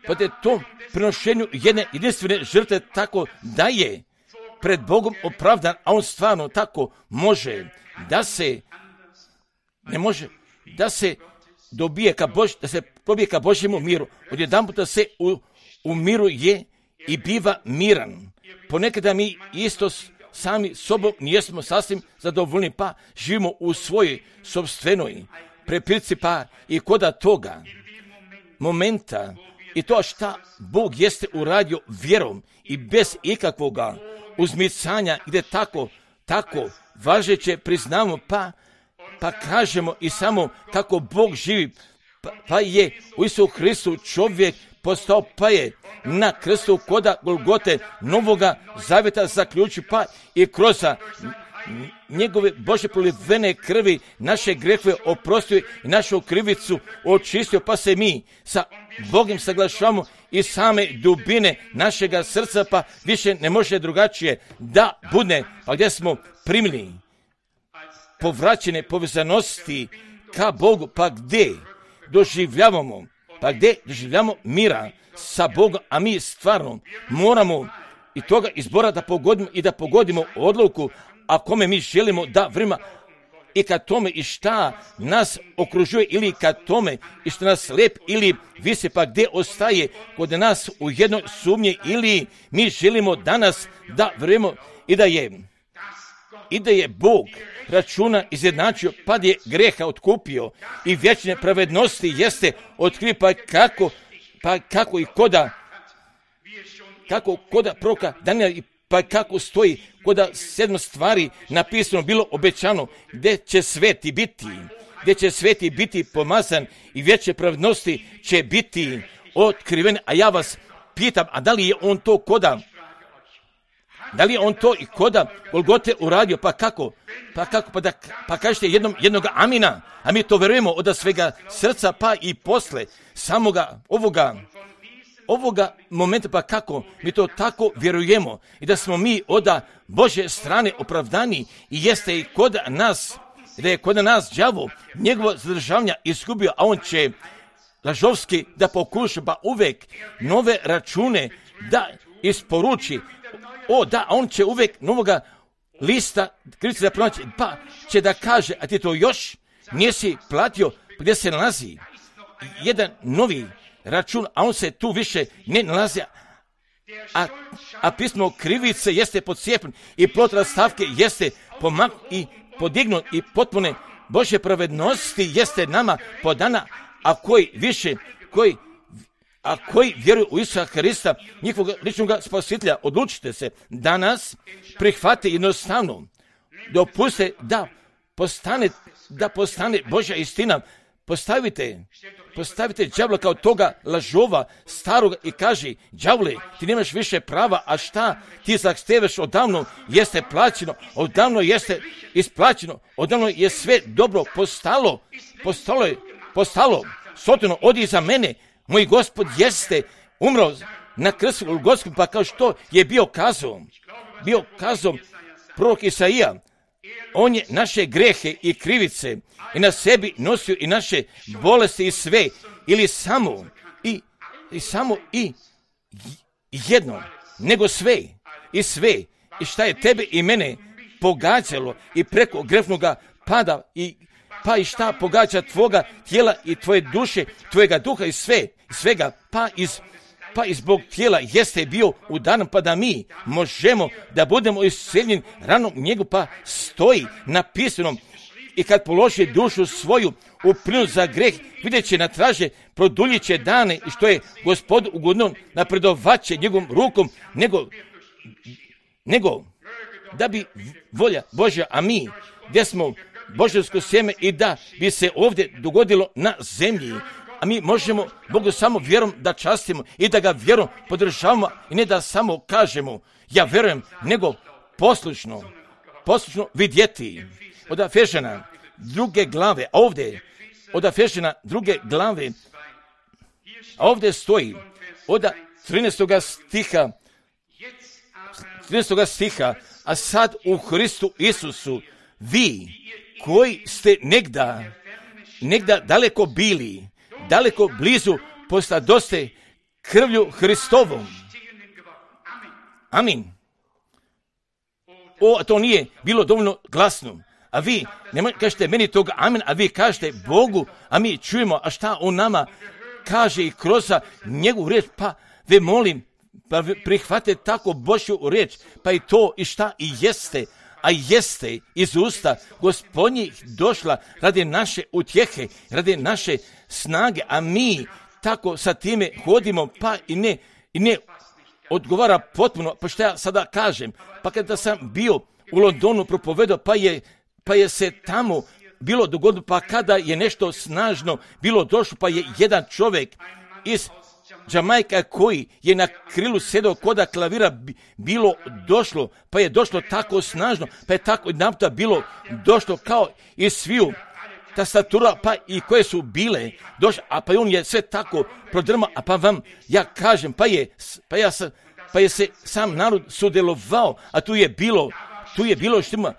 [SPEAKER 1] pa da je to prinošenju jedne jedinstvene žrtve tako da je pred Bogom opravdan, a on stvarno tako može da se, ne može, da se dobije ka Bož, da se probije ka Božjemu miru. Odjedanputa se u, u miru je i biva miran. Ponekada mi isto sami sobom nijesmo sasvim zadovoljni, pa živimo u svojoj sopstvenoj prepirci, pa i koda toga momenta i to šta Bog jeste uradio vjerom i bez ikakvoga uzmicanja, gdje tako, tako važeće priznamo, pa, pa kažemo i samo kako Bog živi, pa, pa je u Isusu Hristu čovjek postao, pa je na krstu koda Golgote novoga zavjeta zaključi, pa i kroz njegove Božje prolivene krvi naše grehove oprostio i našu krivicu očistio, pa se mi sa Bogom saglašavamo i same dubine našega srca, pa više ne može drugačije da bude, pa gdje smo primili povraćene povezanosti ka Bogu, pa gdje doživljavamo, pa gdje doživljavamo mira sa Bogom, a mi stvarno moramo i toga izbora da pogodimo i da pogodimo odluku, a kome mi želimo da vrima i kad tome i šta nas okružuje ili kad tome i što nas lep ili visi, pa gdje ostaje kod nas u jednoj sumnji ili mi želimo danas da vrimo i da je i da je Bog računa izjednačio, pa da je greha otkupio i vječne pravednosti jeste otkrio, pa kako, pa kako i koda kako koda proka Danijela, pa kako stoji koda sedam stvari napisano bilo obećano, gdje će sveti biti, gdje će sveti biti pomazan i vječne pravednosti će biti otkrivene. A ja vas pitam, a da li je on to koda, da li je on to i koda Golgote uradio, pa kako, pa kako, pa da, pa kažete jednom, jednoga amina, a mi to vjerujemo od svega srca, pa i posle samoga ovoga, ovoga momenta, pa kako mi to tako vjerujemo i da smo mi od Božje strane opravdani i jeste i kod nas, da je kod nas đavo njegovo zadržavanja izgubio, a on će lažovski da pokuša, pa uvek nove račune da isporuči. O da, on će uvek novoga lista krivice da pronaći, pa će da kaže, a ti to još nisi platio, gdje se nalazi jedan novi račun, a on se tu više ne nalazi, a, a pismo krivice jeste podcijepljen i plod rastavke jeste pomak i podignut i potpune Božje pravednosti jeste nama podana, a koji više, koji a koji vjeruju u Isusa Hrista, njihovog ličnog spasitelja, odlučite se danas, prihvate jednostavno, dopuste da postane, da postane Božja istina, postavite, postavite đavla kao toga lažova staroga i kaže, đavle, ti nemaš više prava, a šta ti zahteveš odavno jeste plaćeno, odavno jeste isplaćeno, odavno je sve dobro postalo, postalo je, postalo, sotino, odi iza mene, moj Gospod jeste umro na krstu Golgotskom, pa kao što je bio kazao, bio kazao prorok Isaija, on je naše grehe i krivice i na sebi nosio i naše bolesti i sve, ili samo i, i samo i jedno, nego sve i sve, i šta je tebe i mene pogađalo i preko grefnoga pada i pa i šta pogađa tvoga tijela i tvoje duše, tvojega duha i sve, svega, pa iz, pa i zbog tijela jeste bio udaran, pa da mi možemo da budemo isceljeni ranom njegu, pa stoji napisanom i kad položi dušu svoju u plinu za greh, vidjet će na traže, produljit će dane i što je Gospod ugodno napredovat će njegovom rukom, nego, nego da bi volja Božja, a mi gdje smo božansko sjeme i da bi se ovdje dogodilo na zemlji, a mi možemo Bogu samo vjerom da častimo i da ga vjerom podržavamo i ne da samo kažemo ja vjerujem, nego poslušno, poslušno vidjeti. Od Efežana druge glave, a ovdje od Efežana druge glave, a ovdje stoji od trinaestog stiha, trinaestog stiha, a sad u Hristu Isusu, vi koji ste negda, negda daleko bili, daleko blizu, postadoste krvlju Hristovom. Amin. O, to nije bilo dovoljno glasno. A vi, ne kažete meni toga amin, a vi kažete Bogu, a mi čujemo, a šta on nama kaže i kroz njegovu riječ, pa ve molim, pa prihvate tako Božju riječ, pa i to i šta i jeste, a jeste iz usta Gospodnjih došla radi naše utjehe, radi naše snage, a mi tako sa time hodimo, pa i ne, i ne odgovara potpuno, pa što ja sada kažem, pa kada sam bio u Londonu propovedao, pa je, pa je se tamo bilo dogodilo, pa kada je nešto snažno bilo došlo, pa je jedan čovjek iz Jamajka koji je na krilu sedao koda klavira bilo došlo, pa je došlo tako snažno, pa je tako naputa bilo došlo kao i sviju tastatura, pa i koje su bile došle, a pa on je sve tako prodrmao, a pa vam ja kažem, pa je, pa ja sam, pa je se sam narod sudjelovao, a tu je bilo, tu je bilo štima,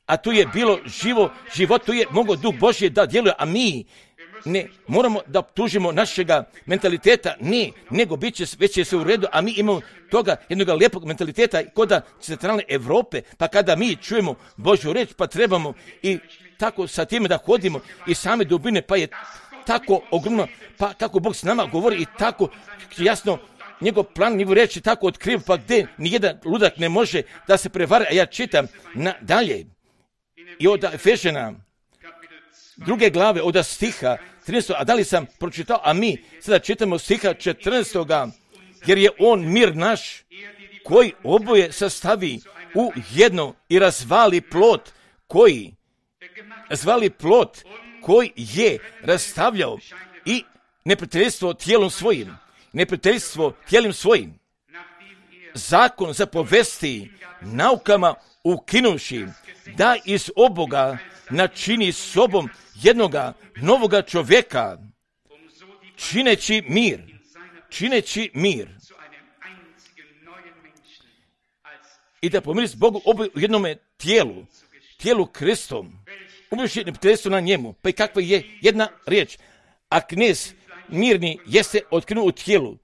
[SPEAKER 1] a tu je bilo živo, život, tu je mogao Duh Božji da djeluje, a mi ne moramo da tužimo našega mentaliteta, ne, nego bit će, već je se u redu, a mi imamo toga jednog lijepog mentaliteta kod centralne Europe, pa kada mi čujemo Božju reč, pa trebamo i tako sa time da hodimo i same dubine, pa je tako ogromno, pa kako Bog s nama govori i tako jasno njegov plan, njegov reč je tako otkriv, pa gdje nijedan ludak ne može da se prevara, a ja čitam na dalje i od Efežana druge glave, od stiha trinaestog, a da li sam pročitao, a mi sada čitamo stiha četrnaestog, jer je on mir naš koji oboje sastavi u jedno i razvali plot koji razvali plot koji je rastavljao i neprijateljstvo tijelom svojim, neprijateljstvo tijelom svojim. Zakon zapovesti naukama ukinuši da iz oboga načini sobom jednoga novoga čovjeka, čineći mir, čineći mir. I da pomiri s Bogu oboje u jednome tijelu, tijelu Kristom, ubivši neprijateljstvo na njemu. Pa i kakva je jedna riječ, a knez mirni jeste otkrenuo u tijelu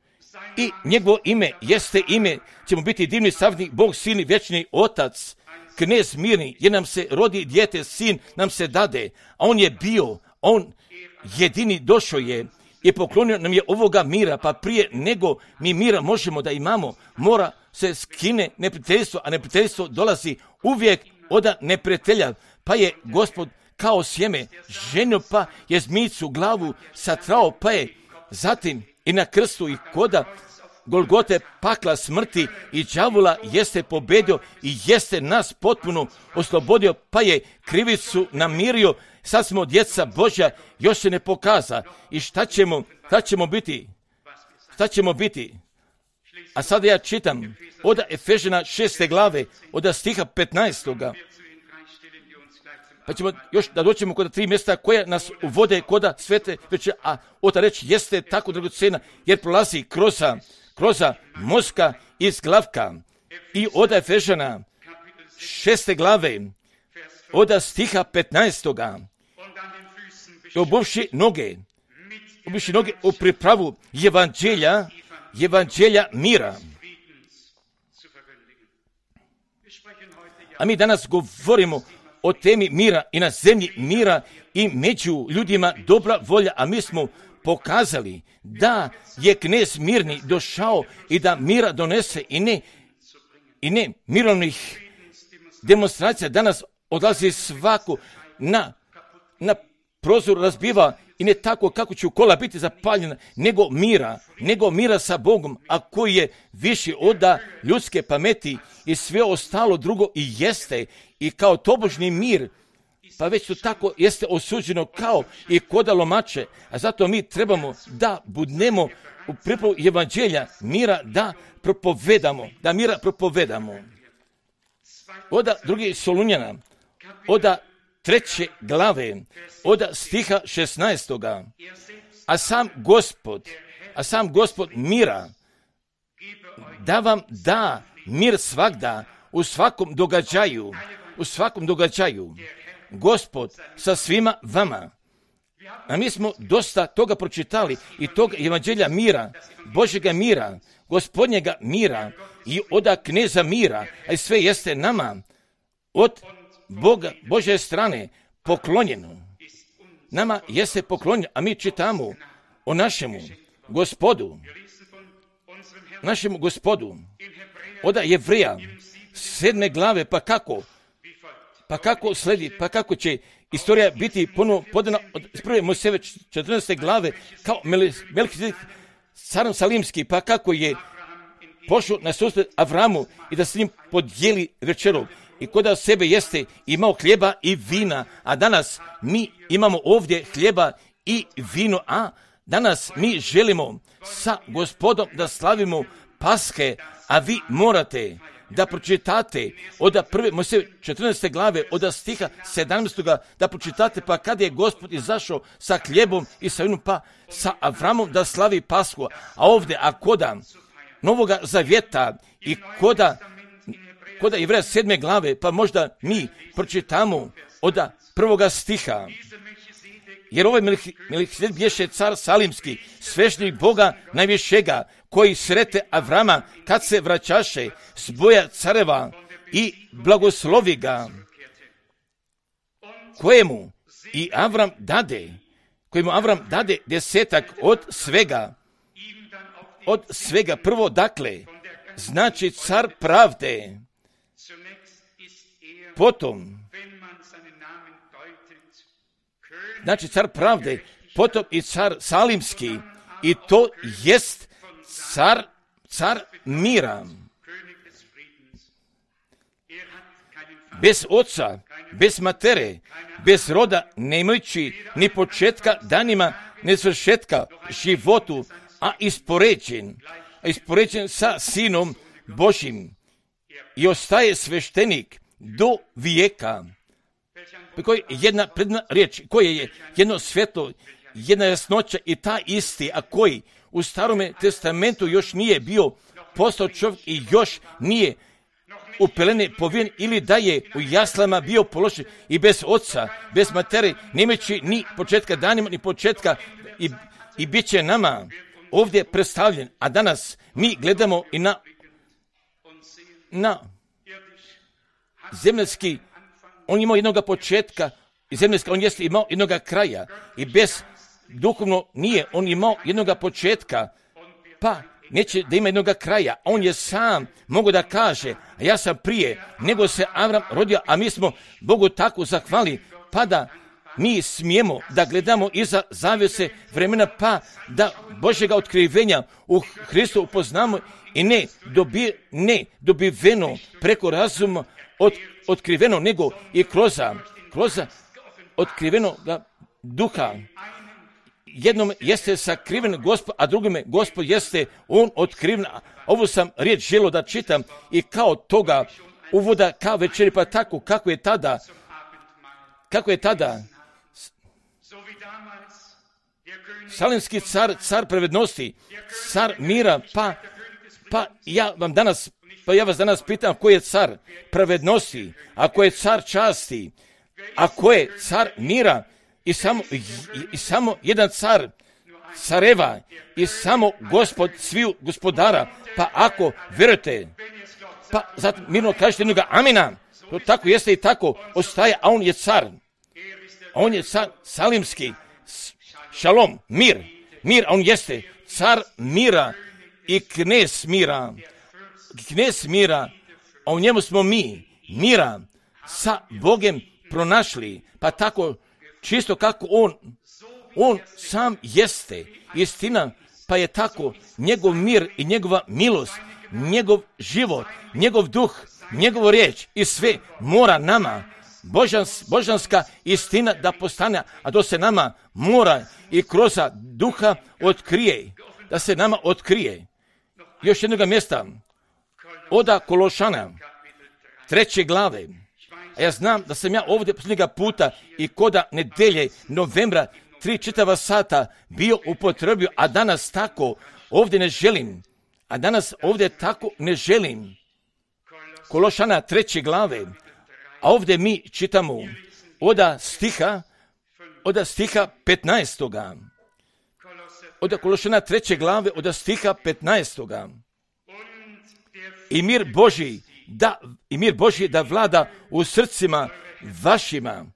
[SPEAKER 1] i njegovo ime jeste ime, ćemo biti divni savjetnik, Bog silni, vječni Otac. Knez mirni, jer nam se rodi dijete, sin nam se dade, a on je bio, on jedini došao je i poklonio nam je ovoga mira, pa prije nego mi mira možemo da imamo, mora se skine neprijateljstvo, a neprijateljstvo dolazi uvijek od neprijatelja, pa je Gospod kao sjeme ženio, pa je zmijicu glavu satrao, pa je zatim i na krstu i koda Golgote pakla smrti i đavola jeste pobedio i jeste nas potpuno oslobodio, pa je krivicu namirio, sad smo djeca Božja, još se ne pokaza. I šta ćemo, šta ćemo biti? Šta ćemo biti? A sada ja čitam od Efežana šeste glave, od stiha petnaestoga. Pa ćemo još da doćemo kod tri mjesta koja nas uvode kod svete večeri, a ota reč jeste tako dragocena, jer prolazi kroz kroz mozga iz glavka. I od Efežana šeste glave, od stiha petnaestoga. I obuvši noge, obuvši noge u pripravu evanđelja, evanđelja mira. A mi danas govorimo o temi mira i na zemlji mira i među ljudima dobra volja, a mi smo pokazali da je knez mirni došao i da mira donese i ne, i ne mirovnih demonstracija. Danas odlazi svako na, na prozor, razbiva i ne tako kako će u kola biti zapaljena, nego mira, nego mira sa Bogom, a koji je viši od ljudske pameti i sve ostalo drugo i jeste i kao tobožni mir. Pa već to tako jeste osuđeno kao i koda lomače, a zato mi trebamo da budnemo u pripravu evanđelja mira, da propovedamo, da mira propovedamo. Oda drugi Solunjana, oda treće glave, oda stiha šesnaestoga. A sam Gospod, a sam Gospod mira da vam da mir svagda, u svakom događaju, u svakom događaju, Gospod sa svima vama. A mi smo dosta toga pročitali i tog evanđelja mira, Božjega mira, Gospodnjega mira i oda kneza mira, a sve jeste nama od Boga, Božje strane poklonjeno. Nama jeste poklonjeno, a mi čitamo o našemu Gospodu, našemu Gospodu, oda Jevreja, sedme glave, pa kako, pa kako sledi, pa kako će istorija biti ponovno podana od prve Mojsijeve četrnaeste glave kao Melhizedek carom salimski, pa kako je pošao na susret Avramu i da s njim podijeli večeru i koda sebe jeste imao hljeba i vina, a danas mi imamo ovdje hljeba i vino, a danas mi želimo sa Gospodom da slavimo Paske, a vi morate da pročitate od prve Mojsijeve četrnaeste glave, od stiha sedamnaestog da pročitate, pa kada je Gospod izašao sa hljebom i sa vinom, pa sa Avramom da slavi Pasku, a ovdje, a koda Novoga zavjeta i koda, koda Jevreja sedme glave, pa možda mi pročitamo od prvoga stiha. Jer ovaj Melhizedek bješe car salimski, sveštenik Boga najvišega, koji srete Avrama kad se vraćaše s boja careva i blagoslovi ga, kojemu i Avram dade, kojemu Avram dade desetak od svega, od svega prvo, dakle, znači car pravde, potom, znači car pravde, potom i car salimski, i to jest car, car mira, bez oca, bez matere, bez roda, nemajući ni početka danima, ni svršetka životu, a ispoređen, a ispoređen sa Sinom Božjim i ostaje sveštenik do vijeka. Koji je jedna predna riječ, koje je jedno svjetlo, jedna jasnoća i ta isti, a koji u Starome testamentu još nije bio postao čovjek i još nije u pelene povijen ili da je u jaslama bio položen i bez oca, bez matere, nemajući ni početka danima, ni početka i, i bit će nama ovdje predstavljen. A danas mi gledamo i na, na zemljski. On imao jednog početka i zemljska, on jeste imao jednog kraja i bez duhovno nije, on imao jednog početka, pa neće da ima jednog kraja. On je sam mogu da kaže, a ja sam prije nego se Avram rodio, a mi smo Bogu tako zahvali, pa da mi smijemo da gledamo iza zavjese vremena, pa da Božjega otkrivenja u Hristu upoznamo i ne, dobi, ne dobiveno preko razuma od, otkriveno, nego i kroz, kroz otkriveno duha. Jednom jeste sakriven Gospod, a drugome Gospod jeste on otkriven. Ovo sam riječ želio da čitam i kao toga uvoda kao večeri, pa tako kako je tada, kako je tada salimski car, car pravednosti, car mira, pa, pa ja vam danas, pa ja vas danas pitam ko je car pravednosti, ako je car časti, ako je car mira i samo, i, i samo jedan car careva i samo Gospod sviju gospodara, pa ako vjerujete, pa zato mirno kažete jednoga amina, to tako jeste i tako ostaje, a on je car, a on je car salimski, šalom, mir, mir, a on jeste car mira i knez mira, knez mira, a u njemu smo mi, mira, sa Bogem pronašli, pa tako čisto kako on, on sam jeste, istina, pa je tako njegov mir i njegova milost, njegov život, njegov duh, njegova riječ i sve mora nama, božans, božanska istina da postane, a to se nama mora i kroz duha otkrije, da se nama otkrije. Još jednog mjesta, oda Kološana, treće glave. A ja znam da sam ja ovdje posljednjega puta i koda nedelje novembra tri čitava sata bio upotrebio, a danas tako ovdje ne želim, A danas ovdje tako ne želim. Kološana treće glave, a ovdje mi čitamo od stiha, od stiha petnaestoga. Od Kološana treće glave, od stiha petnaestoga. I mir Božji, da, i mir Božji da vlada u srcima vašima,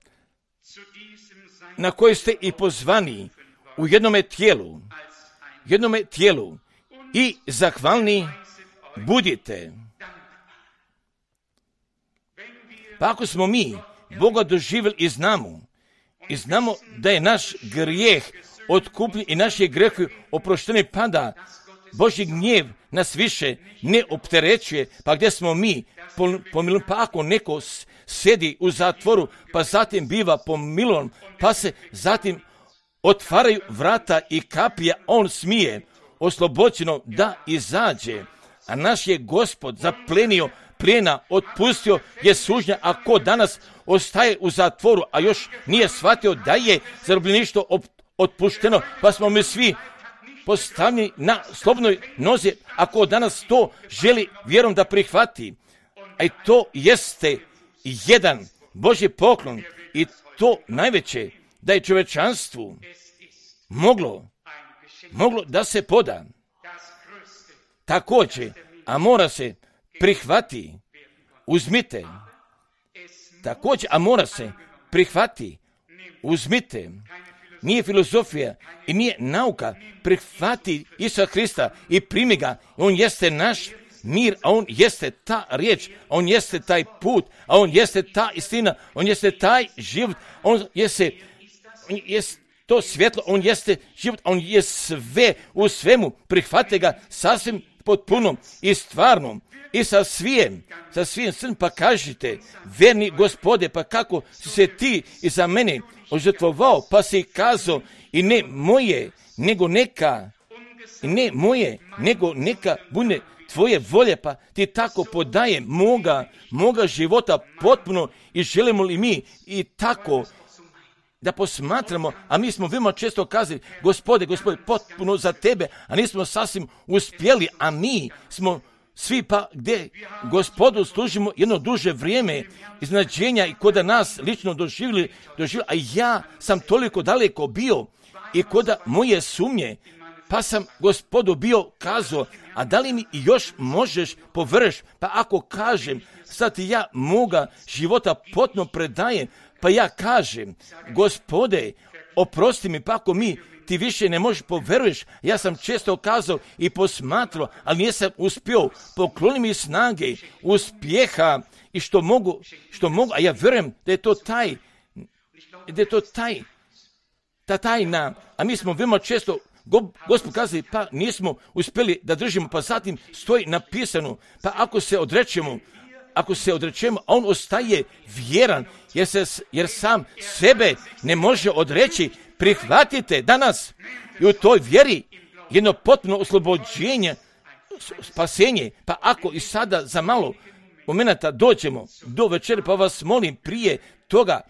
[SPEAKER 1] na koje ste i pozvani u jednome tijelu, jednome tijelu i zahvalni budite. Pa ako smo mi Boga doživjeli i znamo, i znamo da je naš grijeh otkupljen i naši grijehi oprošteni, pada Božji gnjev nas više ne opterećuje, pa gdje smo mi pomilovan, pa ako neko sjedi u zatvoru, pa zatim biva pomilovan, pa se zatim otvaraju vrata i kapija, on smije oslobođeno da izađe, a naš je Gospod zaplenio plijena, otpustio je sužnja, a ko danas ostaje u zatvoru, a još nije shvatio da je zarobljeništvo otpušteno, pa smo mi svi postavljeni na slobodnoj nozi, ako danas to želi vjerom da prihvati. A i to jeste jedan Božji poklon i to najveće da je čovječanstvu moglo, moglo da se poda. Također, a mora se prihvati, uzmite. Također, a mora se prihvati, uzmite. Nije filozofija i nije nauka, prihvati Isusa Krista i primi ga. On jeste naš mir, a on jeste ta riječ, a on jeste taj put, a on jeste ta istina, on jeste taj život, on jeste, on jeste to svjetlo, on jeste život, on je sve u svemu, prihvate ga sasvim potpuno i stvarno i sa svijem, sa svim srcem, pa kažite, verni Gospode, pa kako si se ti i za mene ožrtvovao, pa si kazao i ne moje, nego neka, i ne moje, nego neka bude tvoje volje, pa ti tako podaje moga, moga života potpuno i želimo li mi i tako da posmatramo, a mi smo veoma često kazali, Gospode, Gospode, potpuno za tebe, a nismo sasvim uspjeli, a mi smo svi pa gdje Gospodu služimo jedno duže vrijeme iznađenja i koda nas lično doživjeli, doživjeli, a ja sam toliko daleko bio i koda moje sumnje, pa sam Gospodu bio kazao, a da li mi još možeš površ, pa ako kažem, sad ja moga života potpuno predajem, pa ja kažem, Gospode, oprosti mi, pa ako mi ti više ne možeš poveruješ, ja sam često kazao i posmatrao, ali nisam uspio, pokloni mi snage, uspjeha i što mogu, što mogu, a ja vjerujem da je to taj, da je to taj, ta tajna, a mi smo veoma često Gospod kazali, pa nismo uspjeli da držimo, pa zatim stoji napisano, pa ako se odrećemo, ako se odrećemo, a on ostaje vjeran, jer, se, jer sam sebe ne može odreći, prihvatite danas i u toj vjeri jedno potpuno oslobođenje, spasenje, pa ako i sada za malo momenata dođemo do večeri, pa vas molim prije toga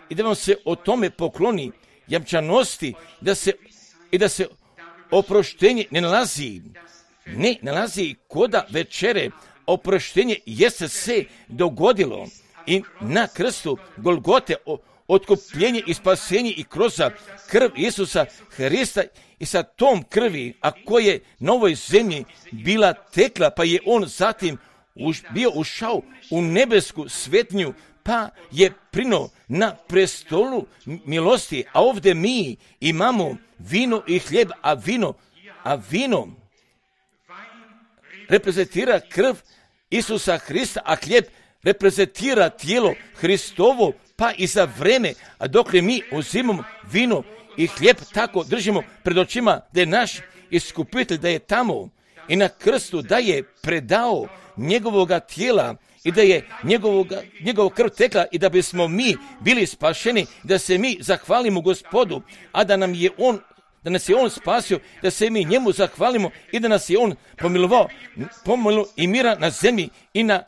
[SPEAKER 1] i da vam se o tome pokloni jamčanosti, da se, i da se oproštenje ne nalazi, ne nalazi koda večere, oproštenje jeste se dogodilo i na krstu Golgote otkupljenje i spasenje i kroz krv Isusa Hrista i sa tom krvi, a koje na ovoj zemlji bila tekla, pa je on zatim už, bio ušao u nebesku svetnju, pa je prino na prestolu milosti, a ovdje mi imamo vino i hljeb, a vino, a vino reprezentira krv Isusa Hrista, a hljeb reprezentira tijelo Hristovo, pa i za vreme, a dok mi uzimamo vino i hljeb, tako držimo pred očima da je naš iskupitelj, da je tamo i na krstu, da je predao njegovoga tijela i da je njegovoga, njegov krv tekla i da bismo mi bili spašeni, da se mi zahvalimo Gospodu, a da nam je on, da nas je on spasio, da se mi njemu zahvalimo i da nas je on pomilovao, pomilu i mira na zemlji i na,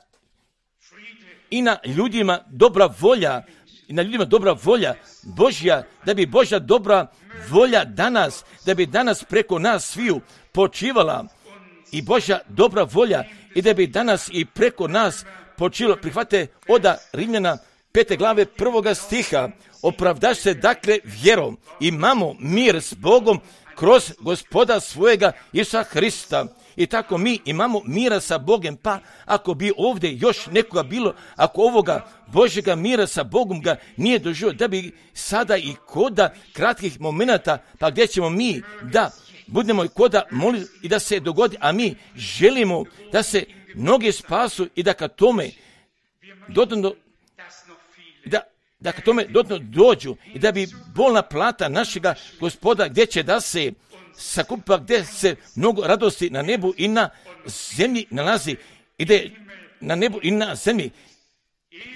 [SPEAKER 1] i na ljudima dobra volja, i na ljudima dobra volja Božja, da bi Božja dobra volja danas, da bi danas preko nas sviju počivala i Božja dobra volja i da bi danas i preko nas počelo. Prihvate oda Rimljana pete glave prvoga stiha. Opravdaš se dakle vjerom, imamo mir s Bogom kroz Gospoda svojega Isusa Hrista. I tako mi imamo mira sa Bogom, pa ako bi ovdje još nekoga bilo, ako ovoga Božjega mira sa Bogom ga nije doživio, da bi sada i koda kratkih momenata, pa gdje ćemo mi da budemo i koda moliti i da se dogodi, a mi želimo da se mnogi spasu i da ka tome dodatno, da, da ka tome dodatno dođu i da bi bolna plata našega Gospoda gdje će da se sakupa, gdje se mnogo radosti na nebu i na zemlji nalazi, i da je na nebu i na zemlji,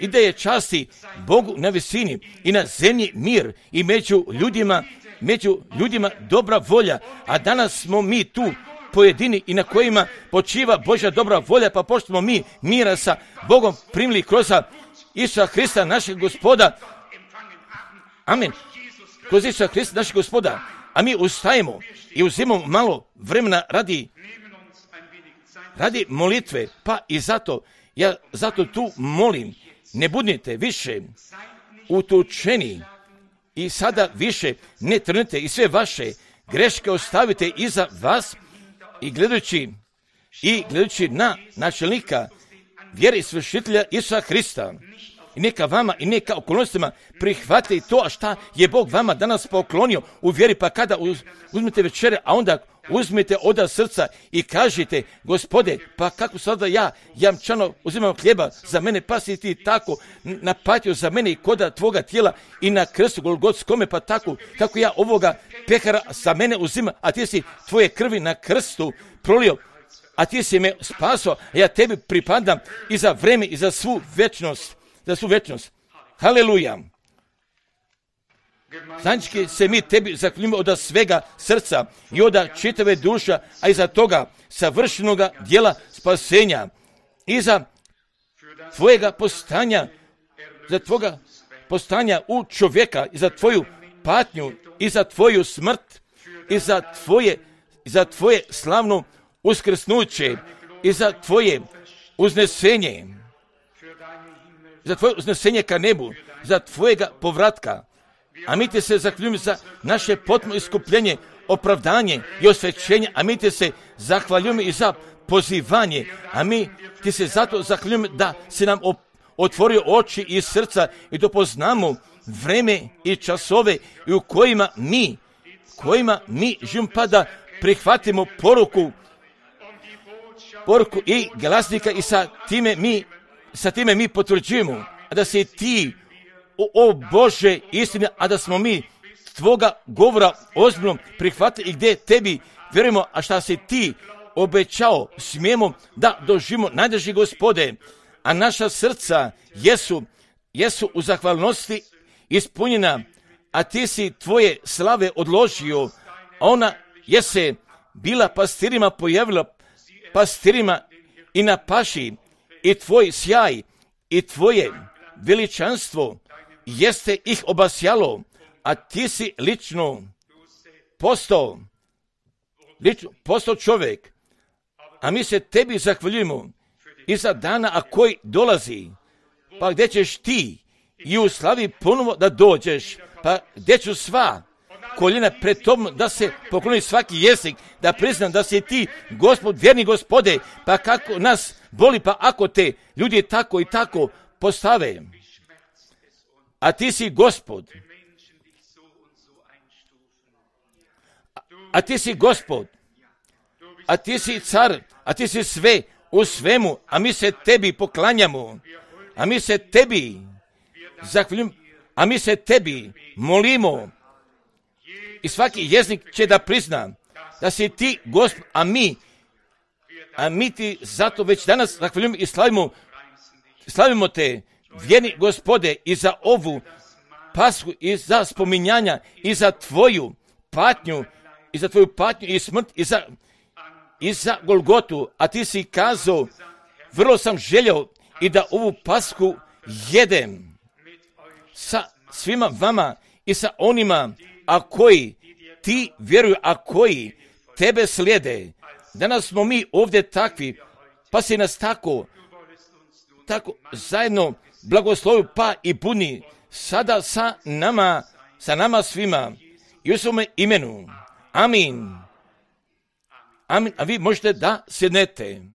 [SPEAKER 1] i da je časti Bogu na visini i na zemlji mir i među ljudima, među ljudima dobra volja, a danas smo mi tu pojedini i na kojima počiva Božja dobra volja, pa pošto smo mi mira sa Bogom primili kroz Isusa Hrista našeg Gospoda, amen, kroz Isusa Hrista našeg Gospoda, a mi ustajemo i uzimamo malo vremena radi, radi molitve, pa i zato, ja zato tu molim, ne budite više utučeni i sada više ne trnite i sve vaše greške ostavite iza vas i gledajući, i gledajući na načelnika vjere i svršitelja Isusa Hrista. I neka vama i neka okolnostima prihvate i to, a šta je Bog vama danas poklonio u vjeri, pa kada uzmete večere, a onda uzmete oda srca i kažete, Gospode, pa kako sada ja, jamčano, uzimam hljeba za mene, pa si ti tako napatio za mene i koda tvoga tijela i na krstu Golgotskome, pa tako, kako ja ovoga pehara za mene uzimam, a ti si tvoje krvi na krstu prolio, a ti si me spasao, a ja tebi pripadam i za vreme i za svu večnost. Za svu večnost. Haleluja. Zajednički se mi tebi zahvaljujemo od svega srca i od čitave duša, a iza toga savršenoga djela spasenja, iza tvojega postanja, za tvoga postanja u čovjeka, i za tvoju patnju, i za tvoju smrt, i za tvoje, za tvoje slavno uskrsnuće, i za tvoje uznesenje, za tvoje uznesenje ka nebu, za tvojega povratka. A mi te se zahvaljujemo za naše potpuno iskupljenje, opravdanje i osvećenje, a mi te se zahvaljujemo i za pozivanje, a mi ti se zato zahvaljujemo da si nam otvorio oči i srca i da poznamo vreme i časove i u kojima mi, kojima mi živimo, pa da prihvatimo poruku, poruku i glasnika i sa time mi Sa time mi potvrđujemo da si ti, o, o Bože, istina, a da smo mi tvoga govora ozbiljno prihvatili i gdje tebi vjerujemo, a šta si ti obećao, smijemo da doživimo, najdrži Gospode, a naša srca jesu, jesu u zahvalnosti ispunjena, a ti si tvoje slave odložio, a ona je se bila pastirima pojavila, pastirima i na paši, i tvoj sjaj i tvoje veličanstvo jeste ih obasjalo, a ti si lično postao, lično postao čovjek, a mi se tebi zahvaljujemo i za dana, a koji dolazi, pa gdje ćeš ti i u slavi ponovo da dođeš, pa gdje ću sva koljena pred tobom da se pokloni svaki jezik, da priznam da si ti Gospod, vjerni Gospode, pa kako nas boli, pa ako te ljudi tako i tako postave, a ti si Gospod, a, a ti si Gospod, a ti si car, a ti si sve u svemu, a mi se tebi poklanjamo, a mi se tebi zahvaljujemo, a mi se tebi molimo, i svaki jezik će da prizna da si ti Gospod, a mi, a mi ti zato već danas zahvaljujemo i slavimo, slavimo te, vjerni Gospode, i za ovu Pashu, i za spominjanja, i za tvoju patnju, i za tvoju patnju i smrt, i za, i za Golgotu, a ti si kazao, vrlo sam željeo i da ovu Pashu jedem sa svima vama i sa onima, a koji ti vjeruju, a koji tebe slijede, danas smo mi ovdje takvi, pa si nas tako, tako zajedno blagoslovi pa i puni sada sa nama, sa nama svima i u svome imenu. Amin. Amin. A vi možete da sjednete.